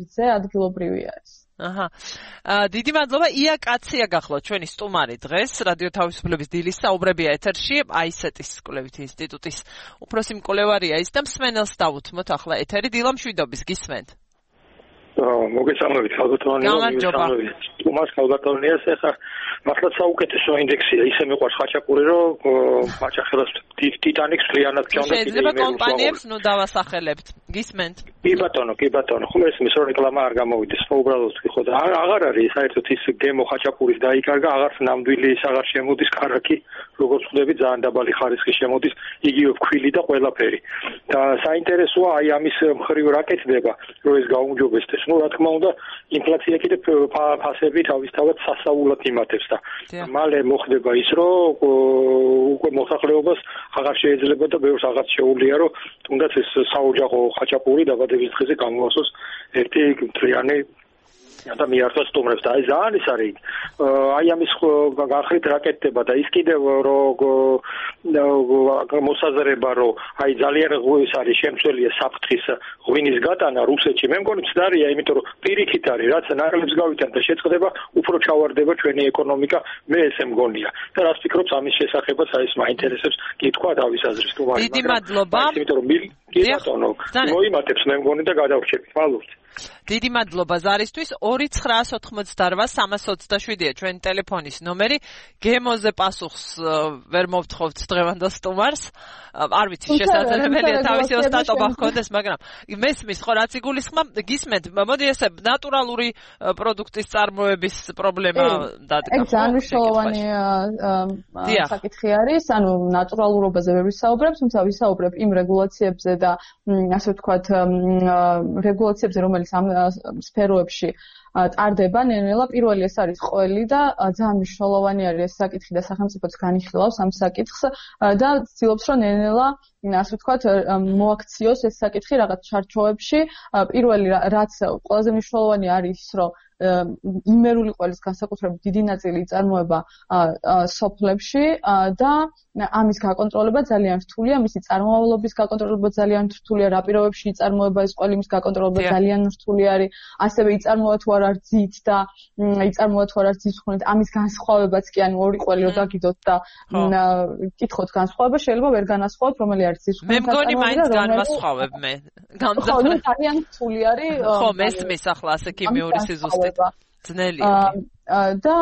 რძე ადგილობრივი არის. აჰა. დიდი მადლობა. ია კაცია გახლავთ ჩვენი სტუმარი დღეს რადიო თავისუფლების დილის საუბრებია ეთერში, აისეტის კვლევითი ინსტიტუტის უფროსი მკვლევარია ის და მსმენელს დავუთმოთ ახლა ეთერი დილა მშვიდობის გისმენთ. მოგესალმებით, ხალბატონია, მოგესალმებით. სტუმარს ხალბატონიას ახლა მართლაც საუკეთესო ინდექსია, ისე მიყვარს ხაჭაპური, რომ მაჭახელას ტიტანიკს ვლიანად ჩავდა. შეიძლება კომპანიებს დავასახელებთ. გისმენთ. კი ბატონო. ხომ ესმის რომ რეკლამა არ გამოვიდეს, უბრალოდ ხო და აღარ არის საერთოდ ის გემო ხაჭაპურის დაიკარგა, აღარც ნამდვილი ის აღარ შემოდის კარაქი, როგორც ხვდები ძალიან დაბალი ხარისხის შემოდის, იგივე ქვილი და ყველაფერი. და საინტერესოა აი ამის მხრივ რა კეთდება, რომ ეს გაუმჯობესდეს. რა თქმა უნდა, ინფლაცია კიდე ფასები თავისთავად სასაულად იმატებს და მალე მოხდება ის, რომ უკვე მოსახლეობას აღარ შეიძლება და ბევრს აღარ შეუძლია, რომ თუნდაც ეს საოჯახო ხაჭაპური დაბადების დღეზე გამოასოს ერთი მთლიანი და მიართვა სტუმრებს და აი ძალიან ის არის აი ამის განხრით რა კეთდება და ის კიდევ რომ მოსაზრება რომ აი ძალიან ის არის შემცველია საფრთხის ღვინის გატანა რუსეთში მე მგონი ცდარია იმიტომ რომ პირიქით არის რაც ნაკლებს გავითან და შეწყდება უფრო ჩავარდება ჩვენი ეკონომიკა მე ესე მგონია და რას ფიქრობთ ამის შესახებაც აი ეს მაინტერესებს კითხვა თავის აზრის თუმცა დიდი მადლობა იმიტომ რომ კი ბატონო მოიმატებს მე მგონი და გადავრჩებით მადლობთ დიდი მადლობა ზარისთვის 2988327-ია ჩვენი ტელეფონის ნომერი გემოზე პასუხს ვერ მოვთხოვთ დღევანდელ სტუმარს არ ვიცი შესაძლებელია თავისი ოსტატობა ჰქონდეს მაგრამ მესმის ხო რაც იგულისხმ გისმენთ მოდი ესე ნატურალური პროდუქტის წარმოების პრობლემა დადგა ეგ ძალიან მნიშვნელოვანი საკითხი არის ანუ ნატურალურობაზე ვერ ვისაუბრებ თუმცა ვისაუბრებ იმ რეგულაციებზე და ასე ვთქვათ რეგულაციებზე რომელიც ამ სფეროებში ტარდება ნელ-ნელა პირველი ეს არის ყველი და ძალიან მნიშვნელოვანი არის ეს საკითხი და სახელმწიფოც განიხილავს ამ საკითხს და ცდილობს რომ ნელ-ნელა ასე ვთქვათ მოაქციოს ეს საკითხი რაღაც ჩარჩოებში პირველი რაც ყველაზე მნიშვნელოვანი არის რომ იმერული ყველის განსაკუთრებით დიდი ნაწილი იწარმოება სოფლებში და ამის გაკონტროლება ძალიან რთულია, მისი წარმომავლობის გაკონტროლება ძალიან რთულია, რა პირობებში იწარმოება ეს ყველი, მის გაკონტროლება ძალიან რთული არის, ასევე იწარმოება თუ არა რძით და იწარმოება თუ არა რძისხვნით, ამის განსხვავებაც კი ანუ ორი ყველი რო დაგიდოთ და კითხოთ განსხვავება შეიძლება ვერ განასხვავოთ, რომელი არის რძისხვნით. მე მგონი მაინც განვასხვავებ მე. ხო, ძალიან რთული არის. ხო, მესმის ახლა ასე ქიმიური სიზუსტე ძნელი და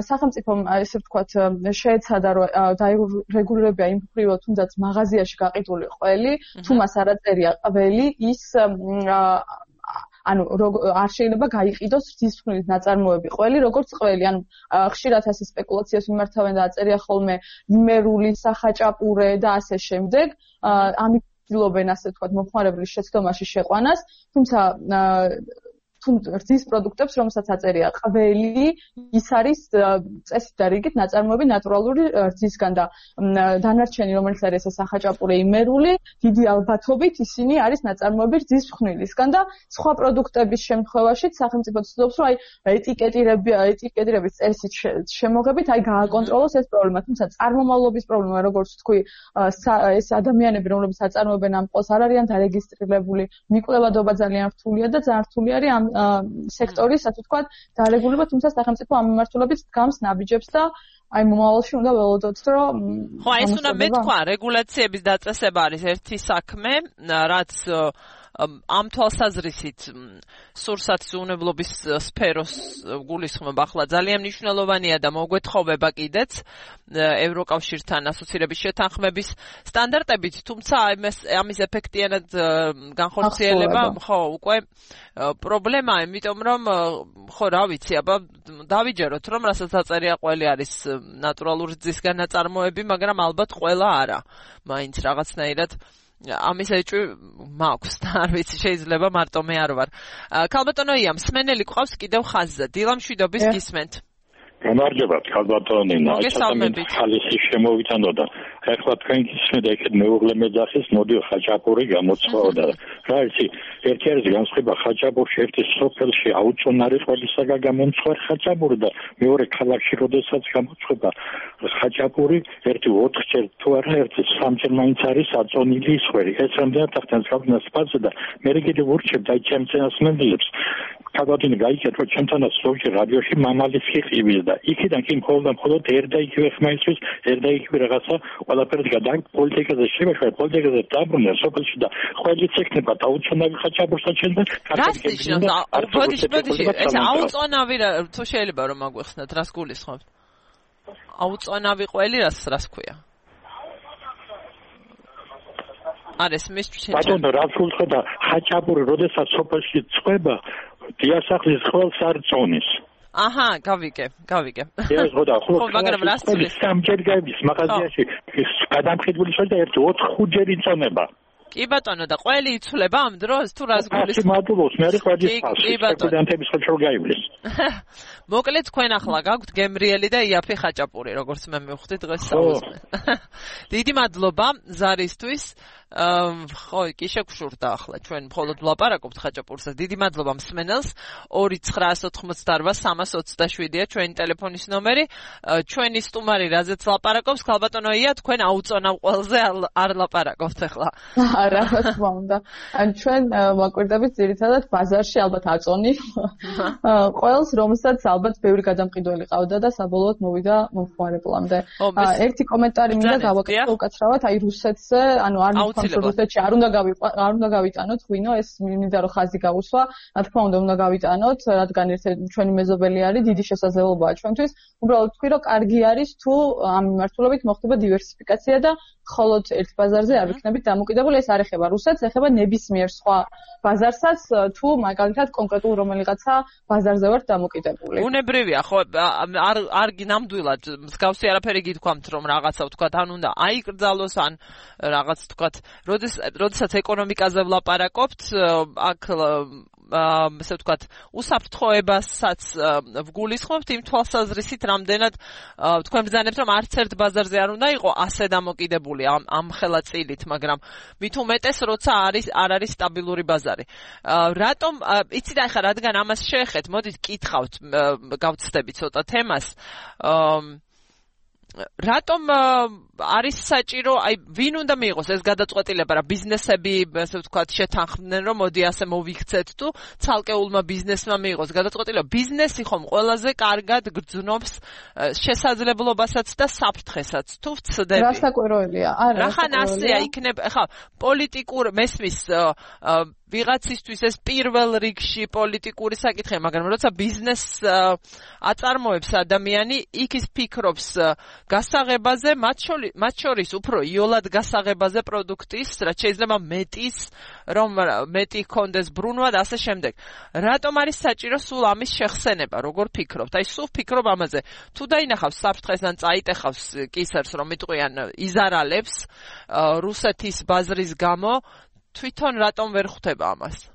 სახელმწიფომ ესე ვთქვათ შეეცადა რომ დაირეგულირებია იმ მხრივ თუნდაც მაღაზიაში გაყიდული ყველი თუ მას არ აწერია ყველი ის ანუ არ შეიძლება გაიყიდოს რძისხვნილით ნაწარმოები ყველი როგორც ყველი ანუ ხშირად ასე სპეკულაციას მიმართავენ და აწერია ხოლმე იმერული სახაჭაპურე და ასე შემდეგ ამით ცდილობენ ასე ვთქვათ მომხმარებლის შეცდომაში შეყვანას თუმცა რძის პროდუქტებს, რომელსაც აწერია ყველი, ის არის წესით და რიგით ნაწარმოები ნატურალური რძისგან და დანარჩენი, რომელიც არის ეს სახაჭაპურე იმერული, დიდი ალბათობით ისინი არის ნაწარმოები რძისხვნილისგან და სხვა პროდუქტების შემთხვევაშიც სახელმწიფო ცდილობს, რომ აი ეტიკეტირების წესით შემოღებით, აი გააკონტროლოს ეს პრობლემა, თუმცა წარმომავლობის პრობლემა, როგორც თქვი, ეს ადამიანები, რომლებიც აწარმოებენ ამ ყველს, არ არიან დარეგისტრირებული, მიკვლევადობა ძალიან რთულია და ძალიან რთული არის ამ სექტორის, ასე ვთქვათ, დარეგულირება, თუმცა სახელმწიფო ამ მიმართულებით დგამს ნაბიჯებს და აი მომავალში უნდა ველოდოთ, რომ ხო, ეს უნდა მეთქვა, რეგულაციების დაწესება არის ერთი საქმე, რაც ამ თვალსაზრისით სურსათზეუნებლობის სფეროს გულისხმობა ახლა ძალიან მნიშვნელოვანია და მოგვეთხოვება კიდეც ევროკავშირთან ასოცირების შეთანხმების სტანდარტებით, თუმცა ამის ეფექტიანად განხორციელება ხო უკვე პრობლემაა, იმიტომ რომ ხო რა ვიცი, აბა დავიჯეროთ რომ რასაც დაწერია ყველი არის ნატურალური რძისგან ნაწარმოები, მაგრამ ალბათ ყველა არა. მაინც რაღაცნაირად ამის ეჭვი მაქვს და არ ვიცი შეიძლება მარტო მე არ ვარ. ქალბატონო ია, მსმენელი გვყავს კიდევ ხაზზე. დილა მშვიდობის გისმენთ. გამარჯობა, ქალბატონო ნინა. მოგესალმებით. ხალისი შემოვიტანოდა. ეხლა თქვენ გისმენთ ეგეთ მეუღლე მეძახის მოდი ხაჭაპური გამოცხაოდა. რა იცი, ერთი არის განსხვავება ხაჭაპურში ერთი სოფელში აუწონარი ყველისაგან გამომცხარ ხაჭაპური და მეორე ქალაქში როდესაც გამოცხება ხაჭაპური ერთი 4-ჯერ თუ არა ერთი 3-ჯერ მაინც არის აწონილი ისხვერი. ეს რამდენად ახდენს გავდნას ფაზე და მე კიდევ ვურჩებ და ჩემცენას მენდლებს. ქალბატონი გაიგეთ რომ ჩემთანაც ზოგჯერ რადიოში მამალის ხიყივის და იქიდან კი მხოლოდ ერთა იგივე ხმაისთვის ერთა იგივე რაღაცა ყველაფერს გადაგ პოლიტიკაზე შემეშვა პოლიტიკაზე დაბრუნდა სოფელში და ყველიც ეკნება დაუწონავი ხაჭაპურსა ჩვენ და ბოდიში ეს აუწონავი თუ შეიძლება რომ აგვეხსნათ რას გულისხმობთ აუწონავი ყველი რას ქვია არის მისთვის ბატონო რა გულხდა ხაჭაპური როდესაც სოფელში წვება დიასახლის ყველს არ წონის აჰა, გავიგე. ეს ხოდა ხო მაგრამ რას წვდის? სამჯერ გაივლის მაღაზიაში გადამხედული შოა და 1-5 ჯერ იწონება. კი ბატონო და ყველი იცვლება ამ დროს თუ რას გულისხმობთ? მადლობს, მე რეკვადის სტუდენტების ხო გაივლის. მოკლედ თქვენ ახლა გაქვთ გემრიელი და იაფი ხაჭაპური, როგორც მე მივხვდი დღეს საუბრობ. დიდი მადლობა ზარისთვის. ხო, კი შეგშურდა ახლა ჩვენ მხოლოდ ვლაპარაკობთ ხაჭაპურსა. დიდი მადლობა მსმენელს 2988327-ია ჩვენი ტელეფონის ნომერი. ჩვენი სტუმარი რაზეც ლაპარაკობს, ქალბატონოია, თქვენ აუწონავ ყველზე არ ლაპარაკობთ ახლა. რა თქმა უნდა. ან ჩვენ ვაკვირდებით ძირითადად ბაზარში ალბათ აწონი. ყველს რომელსაც ალბათ ბევრი გადამყიდველი ყავდა და საბოლოოდ მოვიდა მომხმარებლამდე. ერთი კომენტარი მინდა გავაკეთო უკაცრავად, აი რუსეთზე, ანუ არ რუსეთში არ უნდა გავიტანოთ ღვინო, ეს მინდა რომ ხაზი გავუსვა, რა თქმა უნდა გავიტანოთ, რადგან ჩვენი მეზობელი არის, დიდი შესაძლებლობაა ჩვენთვის. უბრალოდ თქვი რომ კარგი არის თუ ამ მიმართულებით მოხდება დივერსიფიკაცია და მხოლოდ ერთ ბაზარზე არ ვიქნებით დამოკიდებული, ეს არ ეხება რუსეთს, ეხება ნებისმიერ სხვა ბაზარსაც, თუ მაგალითად კონკრეტულ რომელიღაცა ბაზარზე ვართ დამოკიდებული. უნებრივია, ხო, არ ნამდვილად მსგავსი არაფერი გითქვამთ, რომ რაღაცა ვთქვათ, ან უნდა აიკრძალოს, ან რაღაც ვთქვათ, როდესაც ეკონომიკაზე ვლაპარაკობთ, აქ ასე ვთქვათ, უსაფრთხოებასაც ვგულისხმობთ იმ თვალსაზრისით, რამდენად თქვენ ბრძანებთ, რომ არც ერთ ბაზარზე არ უნდა იყო ასე დამოკიდებული ამ ხელაწილით, მაგრამ მით უმეტეს, როცა არ არის სტაბილური ბაზარი. რატომ, იცით ახლა, რადგან ამას შეეხეთ, მოდით კითხავთ, გავცდები ცოტა თემას. რატომ არის საჭირო, აი ვინ უნდა მიიღოს ეს გადაწყვეტილება, რა ბიზნესები, ასე ვთქვათ, შეთანხმდნენ, რომ მოდი ასე მოვიქცეთ თუ ცალკეულმა ბიზნესმა მიიღოს გადაწყვეტილება. ბიზნესი ხომ ყველაზე კარგად გრძნობს შესაძლებლობასაც და საფრთხესაც, თუ ვცდები. რა საკვიროელია? არა, რახან ასეა იქნება, ხა, პოლიტიკურ მესმის ვიღაცისთვის ეს პირველ რიგში პოლიტიკური საკითხია, მაგრამ როცა ბიზნესს აწარმოებს ადამიანი, იქ ის ფიქრობს გასაღებაზე, მათ შორის უფრო იოლად გასაღებაზე პროდუქტის, რაც შეიძლება რომ მეტი ჰქონდეს ბრუნვა და ასე შემდეგ. რატომ არის საჭირო სულ ამის შეხსენება, როგორ ფიქრობთ? აი სულ ფიქრობ ამაზე. თუ დაინახავს საფრთხეს ან წაიტეხავს კისერს, რომ იტყვიან იზარალებს რუსეთის ბაზრის გამო, თვითონ რატომ ვერ ხვდება ამას?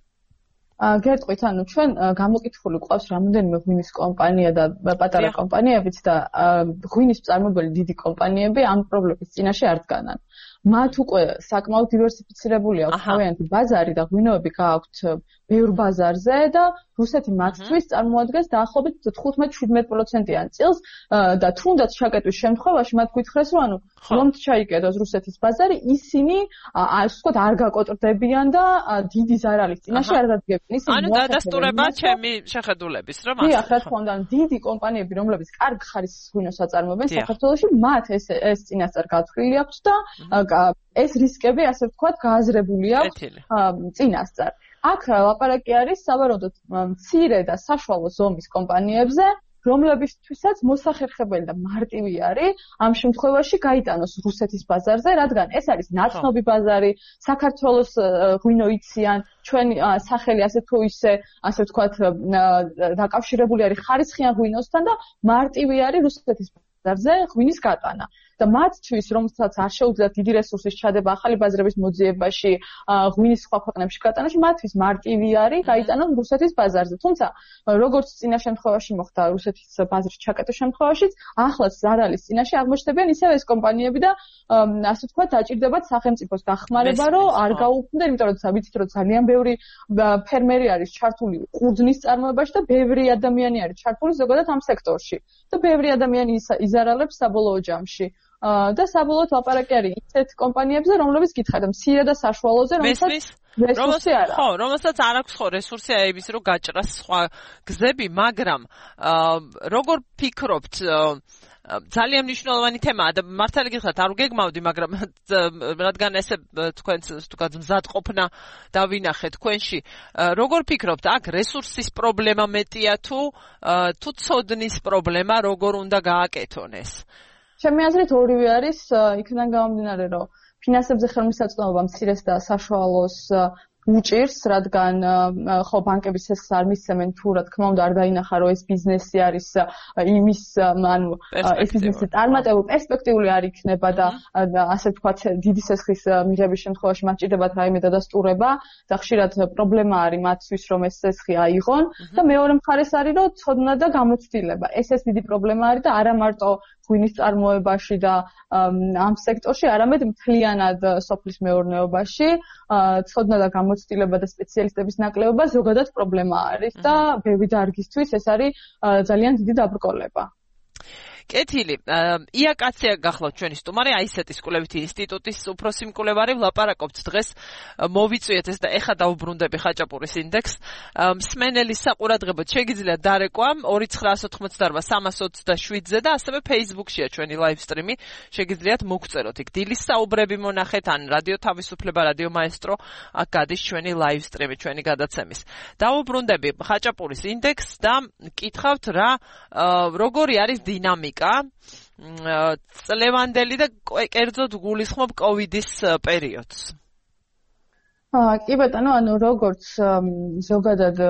გეტყვით, ანუ ჩვენ გამოკითხული ყავს რამოდენიმე ღვინის კომპანია და პატარა კომპანიებიც და ღვინის მწარმოებელი დიდი კომპანიები ამ პრობლემის წინაშე არ დგანან. მათ უკვე საკმაოდ დივერსიფიცირებული აქვს თავიანთი ბაზარი და ღვინოები გააქვთ ბევრ ბაზარზე და რუსეთი მათთვის წარმოადგენს დაახლოებით 15-17%-იან წილს და თუნდაც ჩაკეტვის შემთხვევაში მათ გითხრეს რომ რომ ჩაიკეტოს რუსეთის ბაზარი ისინი ასე ვთქვათ არ გაკოტრდებიან და დიდი ზარალის წინაშე არ დადგებიან ისინი ანუ დადასტურება ჩემი შეხედულების რომ ასე რა თქმა უნდა დიდი კომპანიები რომლებიც კარგ ხარისხის ღვინოს აწარმოებენ საქართველოში მათ ეს წინასწარ გათვლილი აქვს და ეს რისკები ასე ვთქვათ გააზრებული აქვს წინასწარ აქ ლაპარაკი არის საბოლოოდ მცირე და საშუალო ზომის კომპანიებზე რომლებისთვისაც მოსახერხებელი და მარტივი არის ამ შემთხვევაში გაიტანოს რუსეთის ბაზარზე, რადგან ეს არის ნაცნობი ბაზარი, საქართველოს ღვინო იციან, ჩვენი სახელი ასე თუ ისე, ასე ვთქვათ, დაკავშირებული არის ხარისხიან ღვინოსთან და მარტივი არის რუსეთის ბაზარზე ღვინის გატანა. და მათთვის, რომელსაც არ შეუძლიათ დიდი რესურსის ჩადება ახალი ბაზრების მოძიებაში, ღვინის სხვა ქვეყნებში გატანაში, მათთვის მარტივი არის გაიტანონ რუსეთის ბაზარზე. თუმცა, როგორც წინა შემთხვევაში მოხდა რუსეთის ბაზრის ჩაკეტვის შემთხვევაშიც, ახლაც ზარალის წინაშე აღმოჩნდებიან ისევ ეს კომპანიები და ასე ვთქვათ, დაჭირდებათ სახელმწიფოს დახმარება, რომ არ გაუქმდნენ, იმიტომ რომ ვიცით, რომ ძალიან ბევრი ფერმერი არის ჩართული ყურძნის წარმოებაში და ბევრი ადამიანი არის ჩართული ზოგადად ამ სექტორში. და ბევრი ადამიანი იზარალებს საბოლოო ჯამში. და საბოლოოდ ლაპარაკი არის ისეთ კომპანიებზე, რომლებიც გითხარით, მცირე და საშუალოზე, რომელსაც რესურსი არ აქვს. ხო, რომელსაც არ აქვს ხო რესურსი აების რო გაჭრას სხვა გზები, მაგრამ როგორ ფიქრობთ ძალიან მნიშვნელოვანი თემაა და მართალი გითხრათ არ გეგმავდი, მაგრამ რადგან ესე თქვენც თუკაც მზად ყოფნა დავინახეთ თქვენში, როგორ ფიქრობთ, აქ რესურსის პრობლემა მეტია თუ ცოდნის პრობლემა, როგორ უნდა გააკეთონ ეს? ჩემი აზრით ორივე არის, იქიდან გამომდინარე, რომ ფინანსებზე ხელმისაწვდომობა მცირეს და საშუალოს უჭირს, რადგან ხო ბანკების ეს არ მისცემენ თუ რა თქმა უნდა არ დაინახა რომ ეს ბიზნესი არის იმის ანუ ეს ბიზნესი წარმატებულ პერსპექტიული არ იქნება და ასე ვთქვათ დიდი სესხის მიღების შემთხვევაში მათ ჭირდებათ რაიმე დადასტურება და ხშირად პრობლემა არის მათთვის რომ ეს სესხი აიღონ და მეორე მხარეს არის რომ ცოდნა და გამოცდილება ეს დიდი პრობლემა არის და არა მარტო ღვინის წარმოებაში და ამ სექტორში არამედ მთლიანად სოფლის მეურნეობაში ცოდნა და გამოცდილება და სპეციალისტების ნაკლებობა ზოგადად პრობლემა არის და ბევრი დარგისთვის ეს არის ძალიან დიდი დაბრკოლება. კეთილი, იაკაცია გახლავთ ჩვენი სტუმარი, აისეტის კვლევითი ინსტიტუტის უფროსი მკვლევარი, ვლაპარაკობთ დღეს მოვიწვიეთ ეს და ეხა დაუბრუნდები ხაჭაპურის ინდექსს. მსმენელის საყურადღებოდ შეგიძლიათ დარეკვა 2988-327-ზე და ასევე Facebook-შია ჩვენი live stream-ი, შეგიძლიათ მოგწეროთ იქ დილის საუბრები მონახეთ ან რადიო თავისუფლება, რადიო მაესტრო, აქ გადის ჩვენი live stream-ი, ჩვენი გადაცემის. დაუბრუნდები ხაჭაპურის ინდექსს და კითხავთ რა როგორი არის დინამიკა წლევანდელი და კერძოდ გულისხმობ კოვიდის პერიოდს. კი ბატონო, ანუ როგორც ზოგადად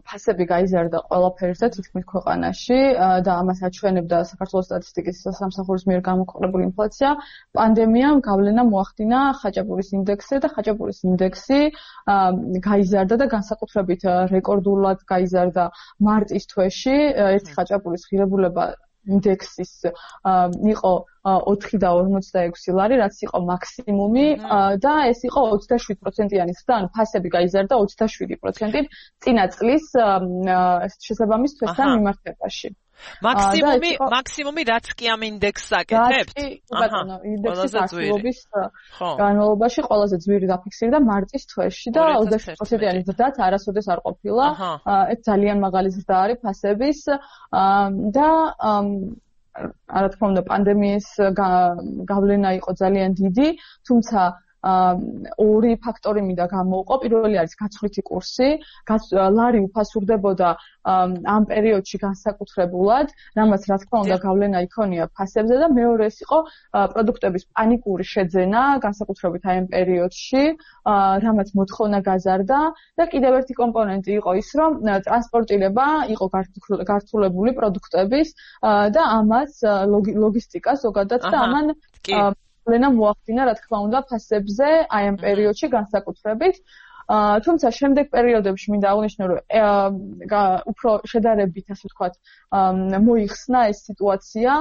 ფასები გაიზარდა ყველაფერზე თითქმის ქვეყანაში და ამას აჩვენებდა საქართველოს სტატისტიკის სამსახურის მიერ გამოქვეყნებული ინფლაცია, პანდემიამ გავლენა მოახდინა ხაჭაპურის ინდექსზე და ხაჭაპურის ინდექსი გაიზარდა და განსაკუთრებით რეკორდულად გაიზარდა მარტის თვეში, ერთი ხაჭაპურის ღირებულება ინდექსის იყო 4.46 ლარი, რაც იყო მაქსიმუმი და ეს იყო 27%-იანი ზრდა, ანუ ფასები გაიზარდა 27% წინა წლის შესაბამის თვესთან მიმართებაში. მაქსიმუმი რაც კი ამ ინდექსს აკეთებთ? ბატონო, ინდექსის აქტივობის განმავლობაში ყველაზე ძვირი დაფიქსირდა მარტის თვეში და 27%-იანი ზრდაც არასოდეს არ ყოფილა. ეს ძალიან მაღალი ზრდა არის ფასების და რა თქმა უნდა პანდემიის გავლენა იყო ძალიან დიდი, თუმცა ორი ფაქტორი მინდა გამოვყო. პირველი არის გაცვლითი კურსი, ლარი უფასურდებოდა ამ პერიოდში განსაკუთრებულად, რამაც რა თქმა უნდა გავლენა იქონია ფასებზე და მეორე ეს იყო პროდუქტების პანიკური შეძენა, განსაკუთრებით აი ამ პერიოდში, რამაც მოთხოვნა გაზარდა და კიდევ ერთი კომპონენტი იყო ის, რომ ტრანსპორტირება იყო გართულებული პროდუქტების და ამას ლოგისტიკა ზოგადად და ამან გავლენა მოახდინა, რა თქმა უნდა, ფასებზე აი ამ პერიოდში განსაკუთრებით. თუმცა შემდეგ პერიოდებში მინდა აღნიშნო, რომ უფრო შედარებით, ასე ვთქვათ, მოიხსნა ეს სიტუაცია,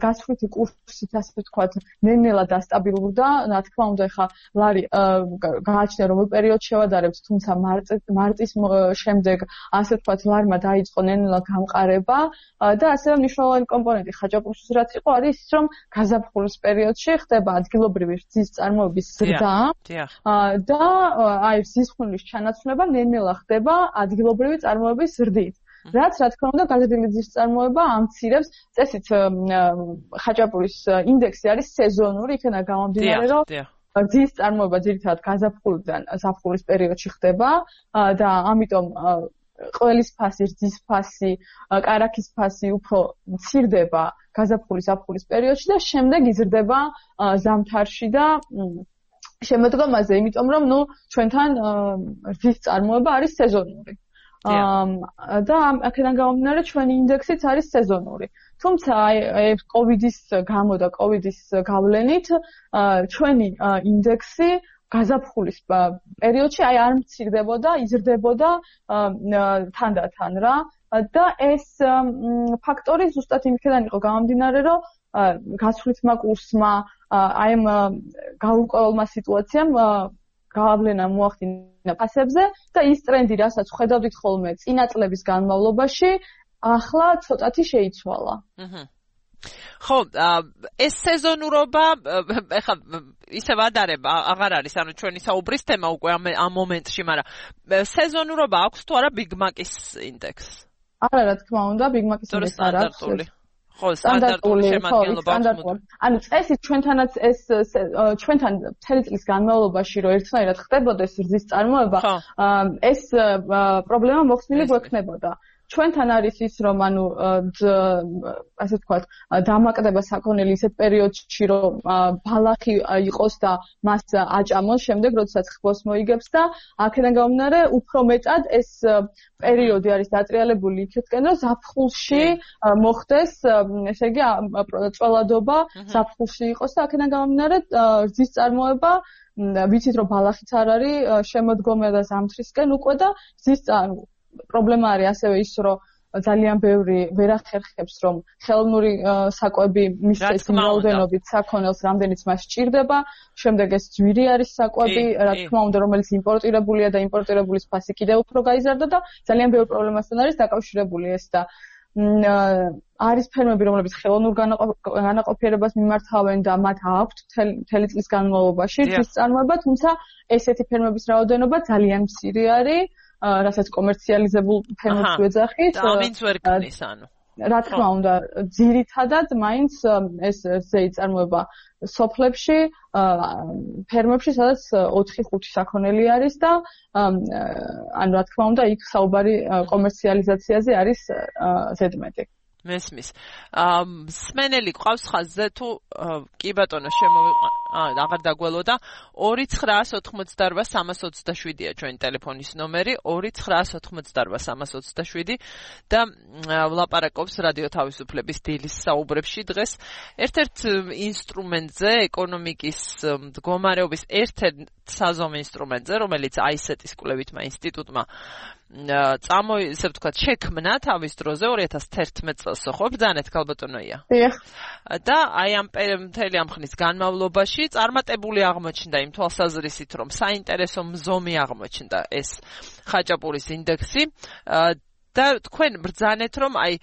გაცვლითი კურსით, ასე ვთქვათ, ნელ-ნელა დასტაბილურდა. რა თქმა უნდა, ეხლა ლარი გააჩნია, რომ პერიოდ შევადარებთ, თუმცა მარტის შემდეგ, ასე ვთქვათ, ლარმა დაიწყო ნელ-ნელა გამყარება და ასევე მნიშვნელოვანი კომპონენტი ხაჭაპურისთვის რაც იყო, არის ის, რომ გაზაფხულის პერიოდში ხდება ადგილობრივი რძის წარმოების ზრდა და აი ზისხმლის ჩანაცვლება ნელ-ნელა ხდება ადგილობრივი წარმოების ზრდით. რაც რა თქმა უნდა გაზრდილი რძის წარმოება ამცირებს წესით ხაჭაპურის ინდექსი არის სეზონური, იქნება გამომდინარე, რომ რძის წარმოება ძირითადად გაზაფხულიდან ზაფხულის პერიოდში ხდება და ამიტომ ყველის ფასი, რძის ფასი, კარაქის ფასი უფრო მცირდება გაზაფხულის-ზაფხულის პერიოდში და შემდეგ იზრდება ზამთარში და შემოდგომაზე, იმიტომ რომ ჩვენთან რძის წარმოება არის სეზონური. და აქედან გამომდინარე ჩვენი ინდექსიც არის სეზონური. თუმცა აი კოვიდის გამო და კოვიდის გავლენით ჩვენი ინდექსი გაზაფხულის პერიოდში აი არ მცირდებოდა, იზრდებოდა თანდათან რა და ეს ფაქტორი ზუსტად იმისგან იყო გამომდინარე, რომ გაცვლითმა კურსმა აი ამ გაურკვეველმა სიტუაციამ გავლენა მოახდინა ფასებზე და ის ტრენდი, რასაც ხედავდით ხოლმე წინა წლების განმავლობაში, ახლა ცოტათი შეიცვალა. ხო, ეს სეზონურობა ეხლა ისე ვადარება აღარ არის, ანუ ჩვენი საუბრის თემა უკვე ამ მომენტში, მაგრამ სეზონურობა აქვს თუ არა Big Mac-ის ინდექსს? არა, რა თქმა უნდა, Big Mac-ის ინდექსი არ აქვს. ხო, სტანდარტული შემადგენლობა აქვს. ანუ წესით ჩვენთანაც ეს ჩვენთან მთელი წლის განმავლობაში რომ ერთნაირად ხდებოდეს რძის წარმოება, ეს პრობლემა მოხსნილი გვექნებოდა. ჩვენთან არის ის, რომ ანუ ასე ვთქვათ, დამაკდება საქონელი ისეთ პერიოდში, რომ ბალახი იყოს და მას აჭამოს შემდეგ, როდესაც ხბოს მოიგებს და აქედან გამომდინარე, უფრო მეტად ეს პერიოდი არის დატრიალებული იქეთკენ, რომ ზაფხულში მოხდეს, ესე იგი, წველადობა ზაფხულში იყოს და აქედან გამომდინარე, რძის წარმოება ვიცით, რომ ბალახიც არ არის შემოდგომა და ზამთრისკენ უკვე და რძის პრობლემა არის ასევე ის, რომ ძალიან ბევრი ვერ ახერხებს, რომ ხელოვნური საკვები მისცეს იმ რაოდენობით საქონელს, რამდენიც მას სჭირდება. შემდეგ ეს ძვირი არის საკვები, რა თქმა უნდა, რომელიც იმპორტირებულია და იმპორტირებულის ფასი კიდევ უფრო გაიზარდა და ძალიან ბევრი პრობლემასთან არის დაკავშირებული ეს და არის ფერმები, რომლებიც ხელოვნურ განაყოფიერებას მიმართავენ და მათ აქვთ მთელი წლის განმავლობაში რძის წარმოება, თუმცა ესეთი ფერმების რაოდენობა ძალიან მცირე არის. რასაც კომერციალიზებულ ფერმებს ვეძახით. ამინც ვერ გქნის, ანუ. რა თქმა უნდა, ძირითადად მაინც ეს რძეი წარმოება სოფლებში, ფერმებში, სადაც 4-5 საქონელი არის და ანუ რა თქმა უნდა, იქ საუბარი კომერციალიზაციაზე არის ზედმეტი. მესმის. სმენელი ყავს ხაზზე თუ კი ბატონო შემოვიყვან. აღარ დაგველოდა 2988-327-ია ჩვენი ტელეფონის ნომერი 2988-327 და ვლაპარაკობს რადიო თავისუფლების დილის საუბრებში დღეს ერთ-ერთ ინსტრუმენტზე ეკონომიკის მდგომარეობის ერთ-ერთ საზომ ინსტრუმენტზე რომელიც აისეტის კვლევითმა ინსტიტუტმა ისე ვთქვათ შექმნა თავის დროზე 2011 წელს ხო ბრძანეთ ქალბატონოია და აი ამ მთელი ამ ხნის განმავლობაში წარმატებული აღმოჩნდა იმ თვალსაზრისით რომ საინტერესო მზომი აღმოჩნდა ეს ხაჭაპურის ინდექსი და თქვენ ბრძანეთ რომ აი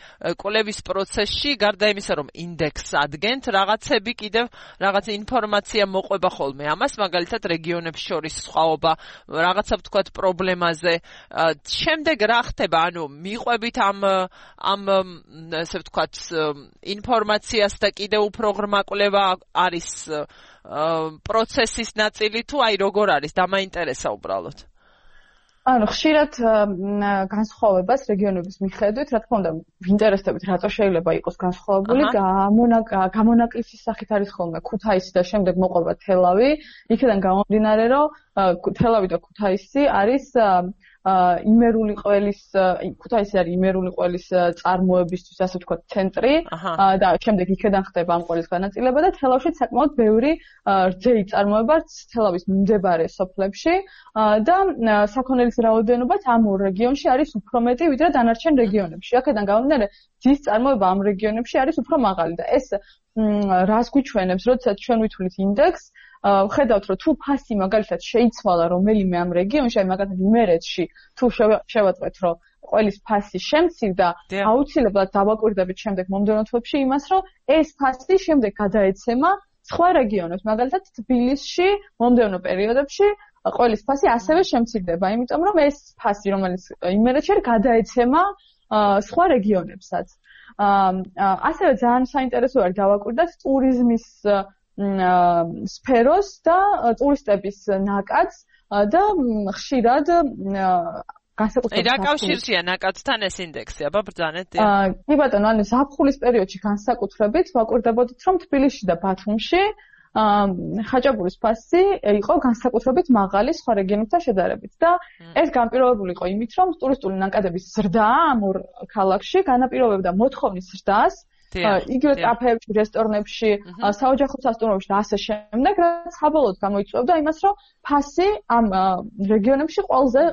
კვლევის პროცესში გარდა იმისა რომ ინდექსს ადგენთ რაღაცები კიდევ რაღაც ინფორმაცია მოყვება ხოლმე ამას მაგალითად რეგიონებს შორის სხვაობა რაღაცა ვთქვათ პრობლემაზე შემდეგ რა ხდება ანუ მიყვებით ამ ესე ვთქვათ ინფორმაციას და კიდევ უფრო ღრმა კვლევა არის პროცესის ნაწილი თუ აი როგორ არის დამაინტერესა უბრალოდ ანუ ხშირად განსხვავებას რეგიონების მიხედვით, რა თქმა უნდა, ვინტერესდებით, რატო შეიძლება იყოს განსხვავებული, გამონაკლისის სახით არის ხოლმე ქუთაისი და შემდეგ მოყვება თელავი, იქიდან გამომდინარე, რომ თელავი და ქუთაისი არის იმერული ყველის ქუთაისი არის იმერული ყველის წარმოებისთვის ასე ვთქვათ ცენტრი და შემდეგ იქიდან ხდება ამ ყველის განაწილება და თელავშიც საკმაოდ ბევრი რძეი წარმოებაც თელავის მიმდებარე სოფლებში და საქონელის რაოდენობაც ამ ორ რეგიონში არის უფრო მეტი ვიდრე დანარჩენ რეგიონებში. აქედან გამომდინარე ძის წარმოება ამ რეგიონებში არის უფრო მაღალი და ეს რას გვიჩვენებს, როდესაც ჩვენ ვითვლით ინდექსს ხედავთ რომ თუ ფასი მაგალითად შეიცვალა რომელიმე ამ რეგიონში, აი მაგალითად იმერეთში თუ შევაწყვეთ რომ ყველის ფასი შემცირდა, აუცილებლად დავაკვირდებით შემდეგ მომდევნო თვეებში იმას, რომ ეს ფასი შემდეგ გადაეცემა სხვა რეგიონებს, მაგალითად თბილისში მომდევნო პერიოდებში ყველის ფასი ასევე შემცირდება, იმიტომ რომ ეს ფასი რომელიც იმერეთში გადაეცემა სხვა რეგიონებსაც. ასევე ძალიან საინტერესო არის დავაკვირდეთ ტურიზმის სფეროს და ტურისტების ნაკადს და ხშირად განსაკუთრებით რა კავშირშია ნაკადთან ეს ინდექსი? აბა ბრძანეთ. კი ბატონო, ანუ ზაფხულის პერიოდში განსაკუთრებით ვაკვირდებოდით რომ თბილისში და ბათუმში ხაჭაპურის ფასი იყო განსაკუთრებით მაღალი სხვა რეგიონებთან შედარებით და ეს განპირობებული იყო იმით, რომ ტურისტული ნაკადების ზრდა ამ ორ ქალაქში განაპირობებდა მოთხოვნის ზრდას, იგივე კაფეებში, რესტორნებში, საოჯახო სასტუმროებში და ასე შემდეგ, რაც საბოლოოდ გამოიწვევდა იმას, რომ ფასი ამ რეგიონებში ყველაზე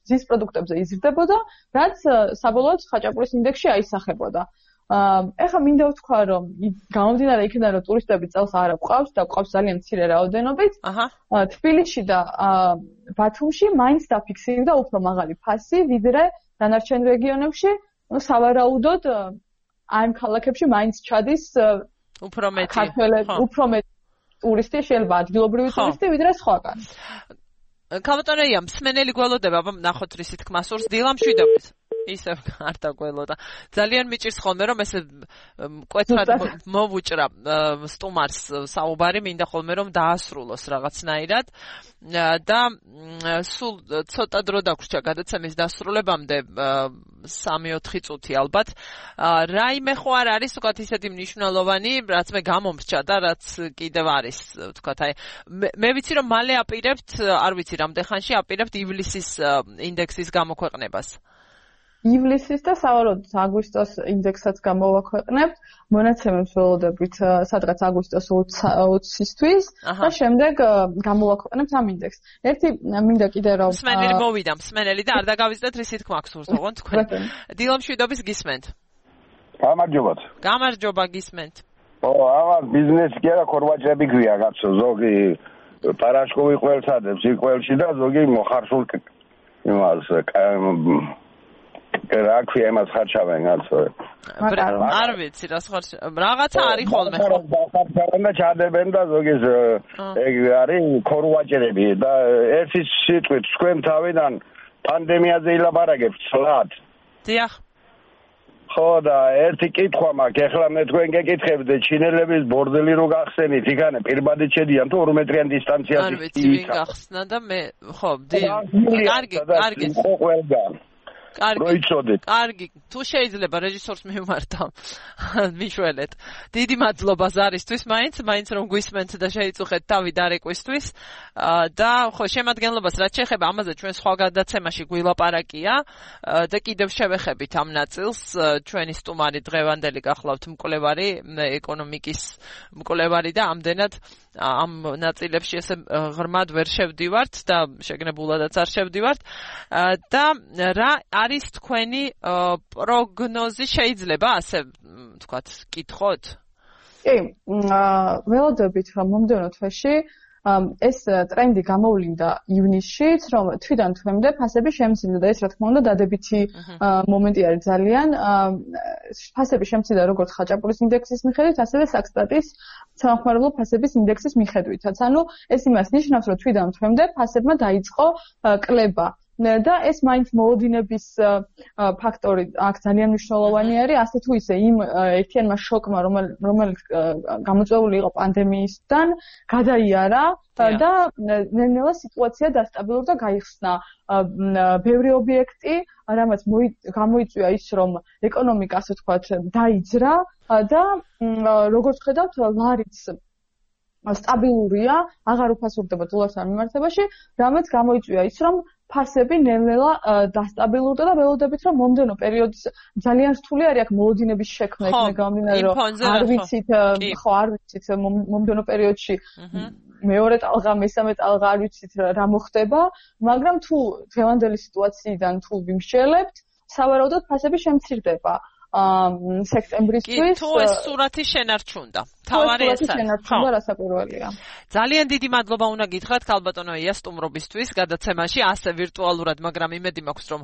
ძის პროდუქტებზე იზრდებოდა, რაც საბოლოოდ ხაჭაპურის ინდექსში აისახებოდა. ეხლა მინდა ვთქვა, რომ გამომდინარე იქიდან, რომ ტურისტები წელს არ გვყავს და გვყავს ძალიან მცირე რაოდენობით, თბილისში და ბათუმში მაინც დაფიქსირდა უფრო მაღალი ფასი, ვიდრე დანარჩენ რეგიონებში, ну სავარაუდოდ ამ ქალაქებში მაინც ჩადის უფრო მეტი ქართველები, უფრო მეტი ტურისტი, შეიძლება ადგილობრივი ტურისტი, ვიდრე სხვაგან. ქალბატონია, მსმენელი გველოდება, აბა ნახოთ რისი თქმა სურს, დილამშვიდობით. ისევ არ დაგველოდა. ძალიან მიჭირს ხოლმე რომ ესე მკვეთრად მოვუჭრა სტუმარს საუბარი, მინდა ხოლმე რომ დაასრულოს რაღაცნაირად და სულ ცოტა დრო დაგვრჩა გადაცემის დასრულებამდე 3-4 წუთი ალბათ. რაიმე ხო არ არის თქვათ ისეთი მნიშვნელოვანი, რაც მე გამომრჩა და რაც კიდევ არის თქვათ აი მე ვიცი რომ მალე აპირებთ, არ ვიცი რამდენ ხანში აპირებთ ივლისის ინდექსის გამოქვეყნებას. ივლისის და სავარაუდოდ აგვისტოს ინდექსსაც გამოვაქვეყნებთ, მონაცემებს ველოდებით სადღაც აგვისტოს 20-ისთვის და შემდეგ გამოვაქვეყნებთ ამ ინდექსს. ერთი მინდა კიდე რომ მსმენელი მოვიდა, მსმენელი და არ დაგავიწყდეთ რისი თქმა გსურს ოღონდ თქვენ. დილამშვიდობის გისმენთ. გამარჯობათ. გამარჯობა გისმენთ. ამას ბიზნესი კი არა, ქორვაჭები გვია კაცო, ზოგი პარაშკოვი ყველსადებს იყველში და ზოგი მოხარშულ იმას რა ქვია იმას ხარჩავენ კაცო. არ ვიცი რა ხარჩა. რაღაცა არის ხოლმე ხო? ხარჩავენ და ჩადებენ და ზოგის ეგ არის ქორვაჭერები და ერთი სიტყვით თქვენ თავიდან პანდემიაზე ილაპარაკებთ სლად. დიახ. ხო და ერთი კითხვა მაქვს, ეხლა მე თქვენ გეკითხებთ ჩინელების ბორდელი რო გახსენით, იქანე პირბადით შედიან თუ 2 მეტრიან დისტანციაზე. არ ვიცი ვინ გახსნა და მე ხო, კარგი, კარგი. ხო ყველგან. კარგი, თუ შეიძლება რეჟისორს მივმართავ. მიშველეთ. დიდი მადლობა ზარისთვის, მაინც რომ გვისმენთ და შეიწუხეთ თავი დარეკვისთვის. და ხო, შემადგენლობას რაც შეეხება ამაზე ჩვენ სხვა გადაცემაში გვილაპარაკია და კიდევ შევეხებით ამ ნაწილს. ჩვენი სტუმარი დღევანდელი გახლავთ მკვლევარი, ეკონომიკის მკვლევარი და ამდენად ამ ნაწილებში ესე ღრმად ვერ შევდივართ და შეგნებულადაც არ შევდივართ. და რა არის თქვენი პროგნოზი, შეიძლება ასე ვთქვათ, კითხოთ? კი, ველოდებით რომ მომდევნო თვეში ეს ტრენდი გამოვლინდა ივნისშიც, რომ თვიდან თვემდე ფასები შემცირდა და ეს რა თქმა უნდა დადებითი მომენტი არის ძალიან. ფასები შემცირდა როგორც ხაჭაპურის ინდექსის მიხედვით, ასევე საქსტატის სამხმარებლო ფასების ინდექსის მიხედვითაც. ანუ ეს იმას ნიშნავს, რომ თვიდან თვემდე ფასებმა დაიწყო კლება. და ეს მაინც მოოდინების ფაქტორი აქ ძალიან მნიშვნელოვანი არის, ასე თუ ისე იმ ერთიანმა შოკმა, რომელიც გამოწვეული იყო პანდემიისგან, გადაიარა და ნელ-ნელა სიტუაცია დასტაბილურდა და გაიხსნა ბევრი ობიექტი, რამაც გამოიწვია ის, რომ ეკონომიკა, ასე ვთქვათ, დაიძრა და როგორც ხედავთ, ლარიც სტაბილურია, აღარ უფასურდება დოლართან მიმართებაში, რამაც გამოიწვია ის, რომ ფასები ნელ-ნელა დასტაბილურდა და ველოდებით რომ მომდენო პერიოდის ძალიან რთული არის აქ მოლოდინების შექმნა იქნება გამომდინარე რომ არ ვიცით მომდენო პერიოდში მეორე ტალღა მესამე ტალღა არ ვიცით რა მოხდება მაგრამ თუ დღევანდელი სიტუაციიდან თუ ვიმსჯელებთ სავარაუდოდ ფასები შემცირდება სექტემბრისთვის თუ ეს სურათი შენარჩუნდა. თავარი ეს შენარჩუნდა რასაკვირველია. ძალიან დიდი მადლობა უნდა გითხრათ ქალბატონო ია სტუმრობისთვის გადაცემაში ასე ვირტუალურად, მაგრამ იმედი მაქვს რომ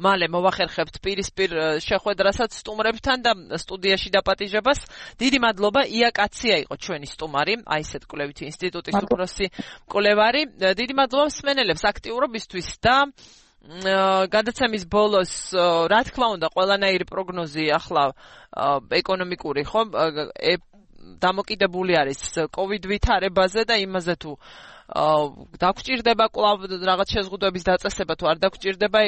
მალე მოვახერხებთ პირისპირ შეხვედრასაც სტუმრებთან და სტუდიაში დაპატიჟებას. დიდი მადლობა ია კაცია იყო ჩვენი სტუმარი, აი ესეთ კვლევითი ინსტიტუტის უფროსი მკვლევარი. დიდი მადლობა მსმენელებს აქტიურობისთვის და გადაცემის ბოლოს რა თქმა უნდა ყველანაირი პროგნოზი ახლა ეკონომიკური ხო დამოკიდებული არის COVID ვითარებაზე და იმაზე თუ დაგჭირდება კვლავ რაღაც შეზღუდვების დაწესება თუ არ დაგჭირდება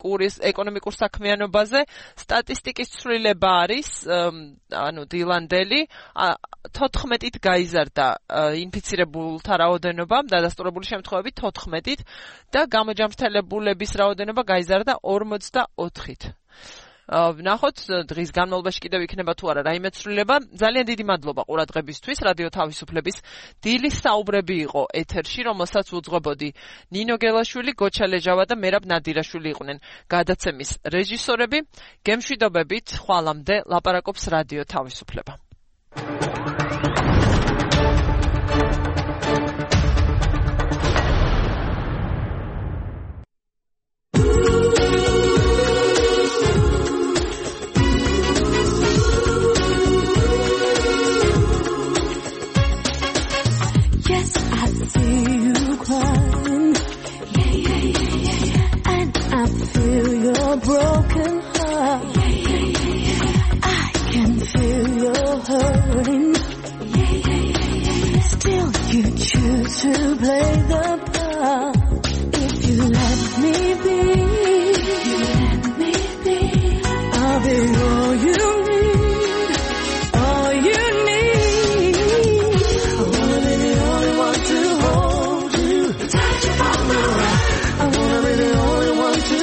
ეკონომიკურ საქმიანობაზე სტატისტიკის ცვლილება არის ანუ დილანდელი 14-ით გაიზარდა ინფიცირებულთა რაოდენობა დადასტურებული შემთხვევებით 14-ით და გამოჯამრთელებულების რაოდენობა გაიზარდა 44-ით ვნახოთ დღის განმავლობაში კიდევ იქნება თუ არა რაიმე ცვლილება ძალიან დიდი მადლობა ყურადღებისთვის რადიო თავისუფლების დილის საუბრები იყო ეთერში რომელსაც უძღვებოდი ნინო გელაშვილი გოჩა ლეჟავა და მერაბ ნადირაშვილი იყვნენ გადაცემის რეჟისორები გემშვიდობებით ხვალამდე ლაპარაკობს რადიო თავისუფლება Broken heart. I can feel your hurting. Still you choose to play the part. If you let me be, I'll be all you need, all you need. I wanna be the only one to hold you, touch you on the right. I wanna be the only one to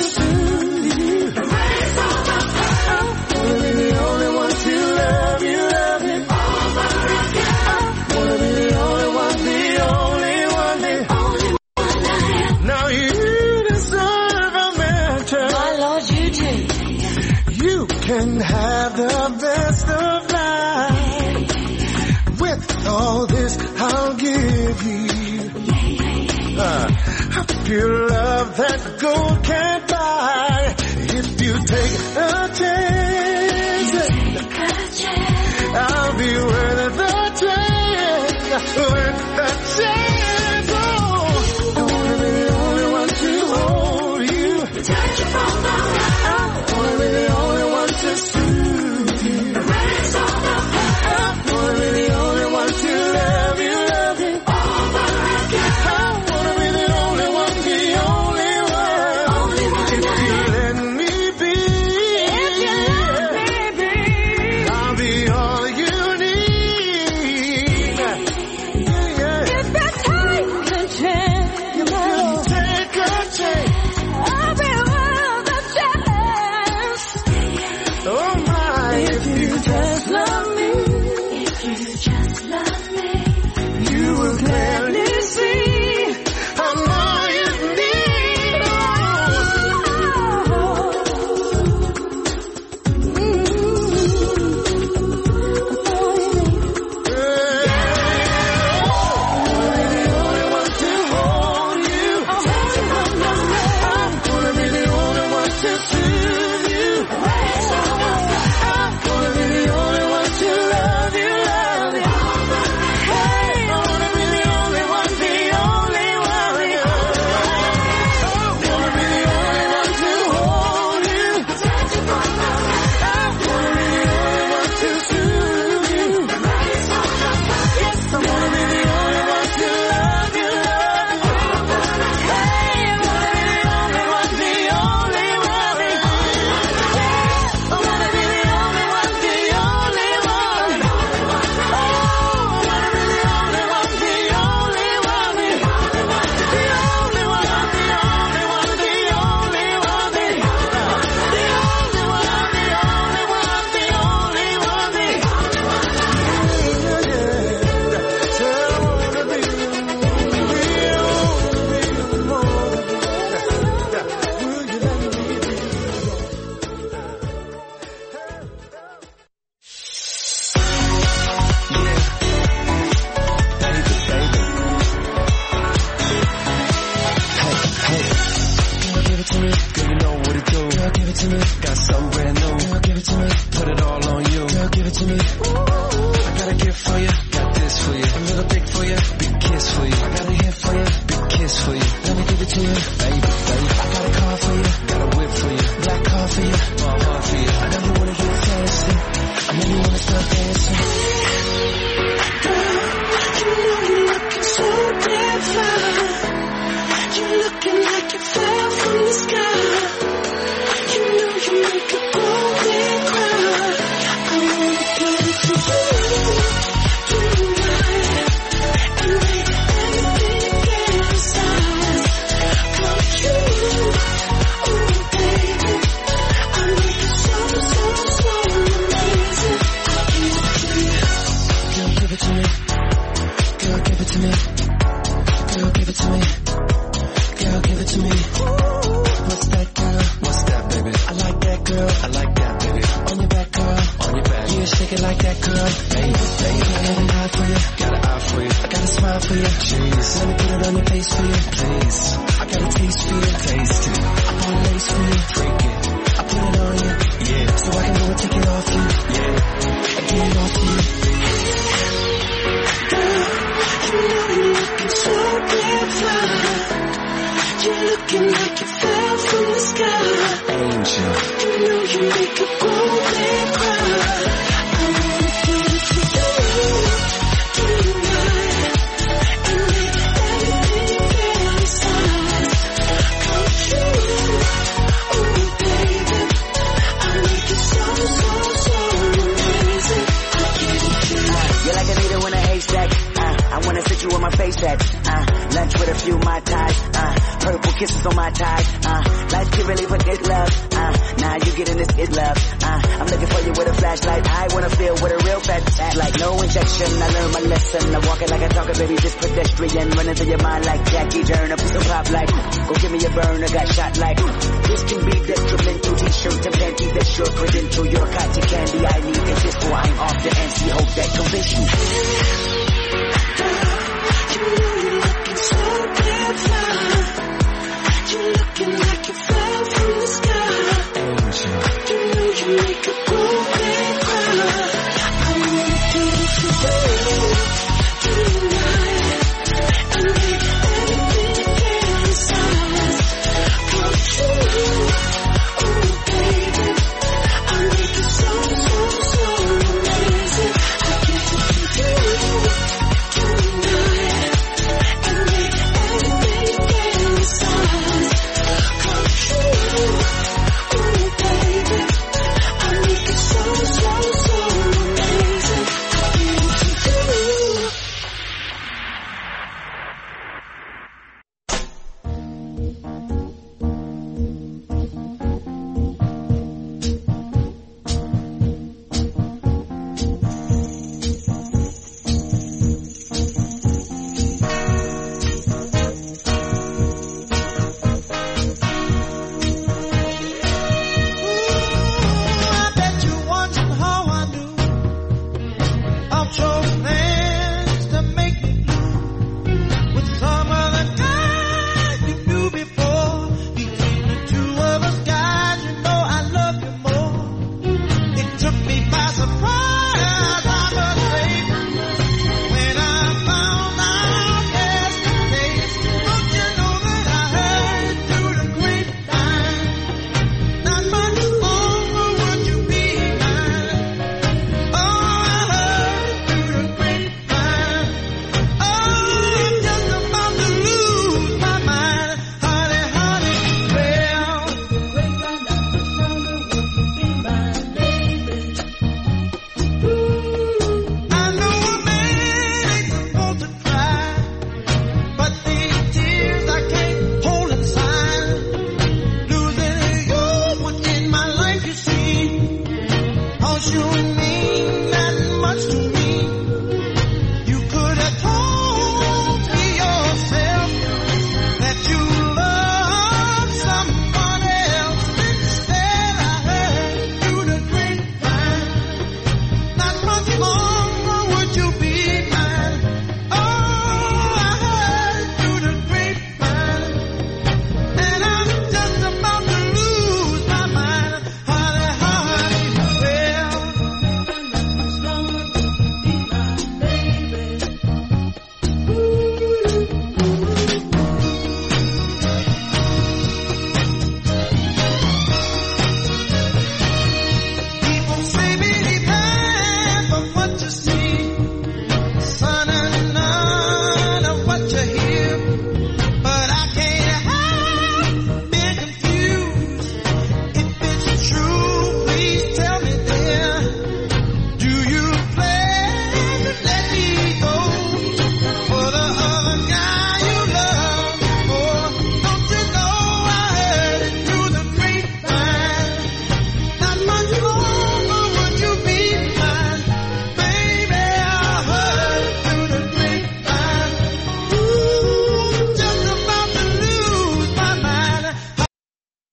can have the best of life. With all this I'll give you a pure love that gold can't buy. If you take a chance, I'll be worth the chance, worth the chance. Oh, I wanna be the only one to hold you, touch you from the right. I wanna be the only one to soothe you. Erase all the pain. I wanna be the only one to love you over again. I wanna be the only one, the only one. If you let me be, to me, girl, you know what it do. Girl, give it to me, got something brand new. Girl, give it to me, put it all on you. Girl, give it to me. I got a gift for you, got this for you. A little dick for you, big kiss for you. I got a hit for you, big kiss for you. Let me give it to you, baby, baby. I got a car for you, got a whip for you. Black car for you, my heart for you. I know you wanna get fancy, I know you wanna start dancing. Girl, you know you're looking so damn fine. You're looking like you fell from the sky. You know you make a grown man cry. I wanna give it to you tonight and make everything fantasize. Come true, oh baby. I make it so amazing. I'll give it to you. Girl, give it to me. Girl, give it to me. Girl, give it to me. What's that, girl? What's that, baby? I like that, girl. I like that, baby. On your back, girl. On your back. Yeah, shake it like that, girl. Baby, baby. I got an eye for you. Got an eye for you. I got a smile for you. Jeez. Let me put it on your face for you. Please. I got a taste for you. Taste it. I got a lace for you. Freak it. I put it on you. Yeah. So I can go and take it off you. Yeah. I get it off you. Girl, you know you're looking so damn fine. You're looking like you fell from the sky. Angel. You know you make a grown man cry. I wanna give it to you tonight and make everything fantasize. Come true, oh baby. I make it so amazing. I'll give it to you. You're like a needle in a haystack. I wanna sit you on my face that. Lunch with a few Mai Tais. Purple kisses on my thighs. Life can really forget love. Now you getting this it love. I'm looking for you with a flashlight. I wanna feel with a real fat act. Like no injection. I learned my lesson. I'm walking like a talker, baby, just pedestrian. Running through your mind like Jackie Turner. Piece of pop like, go give me a burner. Got shot like, this can be detrimental. T-shirt and panties that's your credential. Your cotton candy I need is this for I'm off the NC. Hope that convince you. You know you're looking so damn fine. You're looking like you fell from the sky. Angel. You know you make a